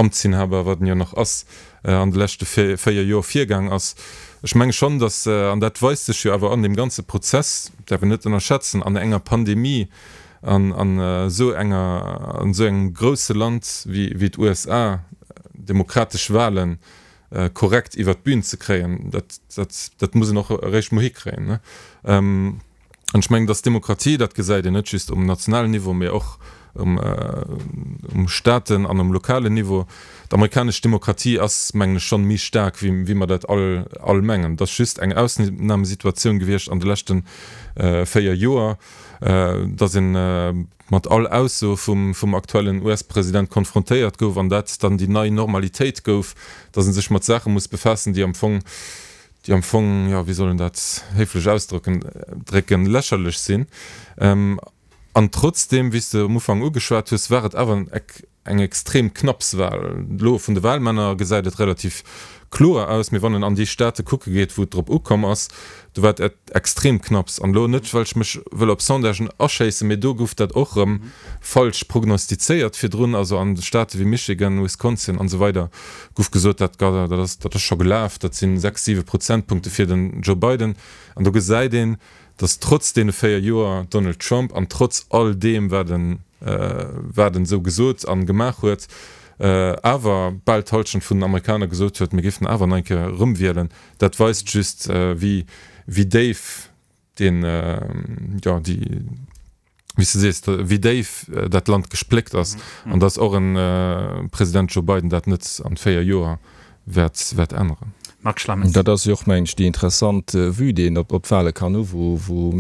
Amtsinhaber, wat en jo nach ass, an de leschte véier Joer virgaang ass. Ech menge schonn, datt, an dat weist sech jo awer an deem ganze Prozess, däerf een net ënnerschätzen, an enger Pandemie, an esou enger, an esou engem grousse Land wéi d'USA, demokratesch Wahlen korrekt iwwert d'Bün ze kréien, dat, dat, dat muss een och eréischt mol hikréien. An ech mengen, dass d'Demokratie, dat gesäit een net just um nationalen Niveau, mee och um, um Staaten an um lokalen Niveau, d'amerikanesch Demokratie ass, mengen ech, schonn méi staark, wéi, wéi mer dat all, all mengen. Et ass just eng Ausnamesituatioun gewiescht an de leschte véier Joer, dass ee mat all Ausso vum, vum aktuellen US-President konfrontéiert gouf an dat dann déi nei Normalitéit gouf, dass ee sech mat Saache muss befaassen, déi am Fong, déi am Fong, jo, wéi soll een dat héiflech ausdrücken, drécken, lächerlech sinn. An trotzdeem, wéi s de um Ufank ugeschwat hues, war et awer eng extrem knapps Wahl. Elo vun de Wahlmänner gesäit et relativ kloer aus, mee wann en an déi Staate kucke geet, wou et drop ukomm ass, do war et extrem knapps. An elo net, well ech mech wëll op Sondagen aschéissen, mee do gouf dat och erëm falsch prognostizéiert virdrun. Also an Staate wéi Michigan, Wisconsin an esou weider gouf gesot, dat dat ass dat ass scho gelaf, dat si sechs, siwe Prozentpunkte fir den Joe Biden. An do gesäit een, datt trotz deene véier Joer Donald Trump an trotz all deem, wat en wat en esou gesot a gemaach huet, awer bal d'Hallschent vun den Amerikaner gesot huet, mir géifen awer nach eng Kéier erëmwielen. Dat weist just, wéi wéi déif deen, jo, déi, wéi s de sees, wéi déif dat Land gespléckt ass an datt och e President Joe Biden dat net an véier Joer wäert wäert änneren. Marc Schlammes. Dat ass jo och, mengen ech, déi interessant Vue, déi een op d'Wahle kann hu wou, wou,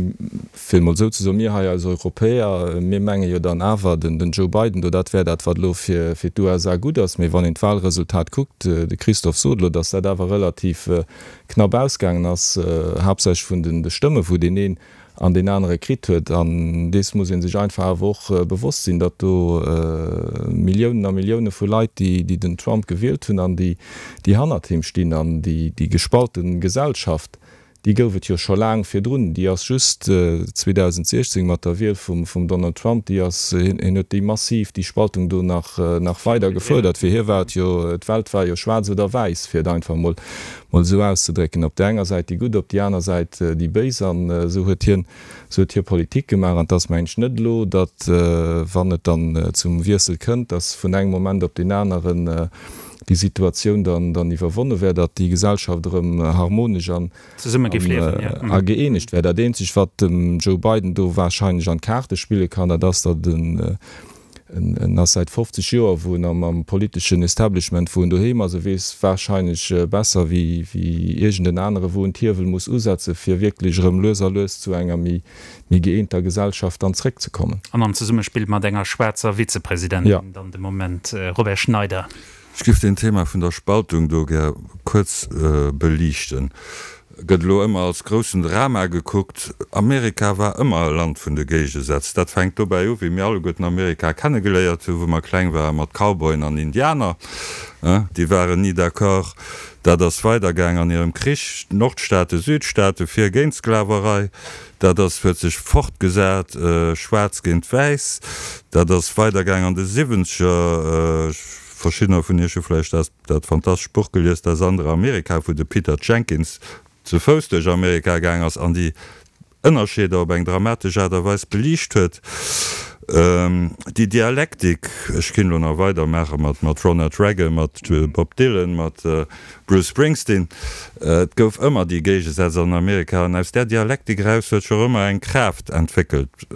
fir et mol esou ze soen, mir hei als Europäer, mir menge jo dann awer, den Joe Biden do, dat wär dat, wat elo fir d'USA gutt ass. Mee wann een d'Wahlresultat kuckt, de Christophe sot elo, datt dat awer relativ knapp ausgaangen ass, haaptsächlech vun de Stëmme wou deen een an deen anere kritt huet. An dees muss ee sech einfach awer och bewosst sinn, datt do Milliounen a Millioune vu Leit, déi den Trump gewielt hunn an déi hannert him stinn, an déi gespalte Gesellschaft, déi gouf et jo scho laang virdrun, déi ass just zweedausendsiechzéng mat der Wiel vum Donald Trump, déi ass, hien huet déi massiv, déi Spaltung do nach weider gefuerdert. Fir hie war et jo, d'Welt war jo schwaarz oder wäiss, fir et einfach mol mol esou auszedrécken, op där enger Säit déi Gutt, op déi aner Säit déi Béis. An esou huet hien, esou huet hie Politik gemaach. An et ass, mengen ech, net elo, datt, wann et dann zum Wiessel kënnt, datt vun engem Moment op deen aneren déi Situatioun dann, dann iwwerwonne wär, datt déi Gesellschaft erëm harmonesch an, a gëeenegt wär. Dat eenzegt, wat dem Joe Biden do wahrscheinlech an d'Kaarte spille kann, dat ass, datt en, En ass säit fofzeg Joer wou en am politeschen Establishment, wou en doheem ass. E weess warscheinlech besser wéi iergend en anere wou en d'Hiewel muss usetze fir wierklech erëm lues a lues zu enger méi gëeenter Gesellschaft dann zréckzekommen. An am Zesummespill mat enger schwaarzer Vizepresidentin dann de Moment, Robert Schneider. Ech géif deen Thema vun der Spaltung do gär kuerz beliichten. Gëtt elo ëmmer als groussen Drama gekuckt. Amerika war ëmmer e Land vun de Géigesätz. Dat fänkt dobäi u wéi mir alleguerten Amerika kennegeléiert hu wou mer kleng waren, mat Cowboyen an Indianer. Déi waren ni d'accord. Dat ass weidergaang an hirem Krich, Nordstaaten, Südstaaten, fir géint d'Sklaverei. Dat ass huet sech fortgesat, schwaarz géint wäiss. Dat ass weidergaang an de Siwwenzeger. Verschiddener vun iech hu vläicht dat dat fantastescht Buch gelies, Das andere Amerika, wou de Peter Jenkins ze Fouss duerch Amerika gaang ass an déi Ënnerscheeder op eng dramatesch Aart a Weis beliicht huet. Déi Dialektik, ech kéint elo nach weidermaache mat mat Ronald Reagan, mat Bob Dylan, mat Bruce Springsteen, et gouf ëmmer déi Géigesätz an Amerika an aus där Dialektik eraus huet sech och ëmmer eng Kraaft entwéckelt,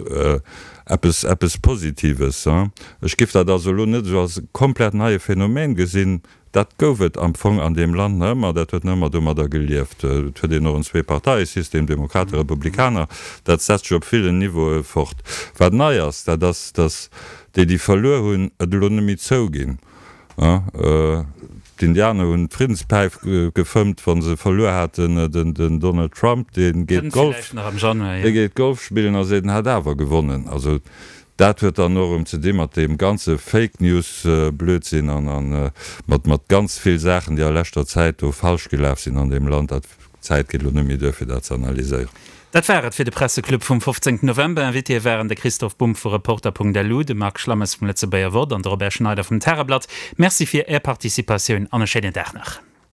eppes eppes Positives. Ech giff dat also elo net esou als e komplett neie Phänomen gesinn. Dat gouf et am Fong an deem Land nach ëmmer, dat huet nach ëmmer domadder gelieft. Et huet een och en Zweeparteiesystem, Demokraten, Republikaner, dat setzt sech op villen Niveaue fort. Wat nei ass, dat ass, datt déi, déi verluer hunn, et elo net méi zouginn. D'Indianer hunn d'Friddenspäif gefëmmt, wa se verluer haten. Den Donald Trump, dee geet Golf, dee geet Golf spillen a seet, en hätt awer gewonnen. Also dat huet dann och erëm ze di mat deem ganze Fake News Blödsinn an a mat mat ganz vill Saachen, déi a leschter Zäit do falsch gelaf sinn an deem Land. Dat d'Zäit geet elo net méi duer fir dat ze analyséieren. Dat war et fir de Presseclub vum fofzéngten November. Invitéë waren de Christoph Bumb vu Reporter.lu, de Marc Schlammes vum Lëtzebuerger Wort an de Robert Schneider vum Tageblatt. Merci fir Är Participatioun an e schéinen Dag nach.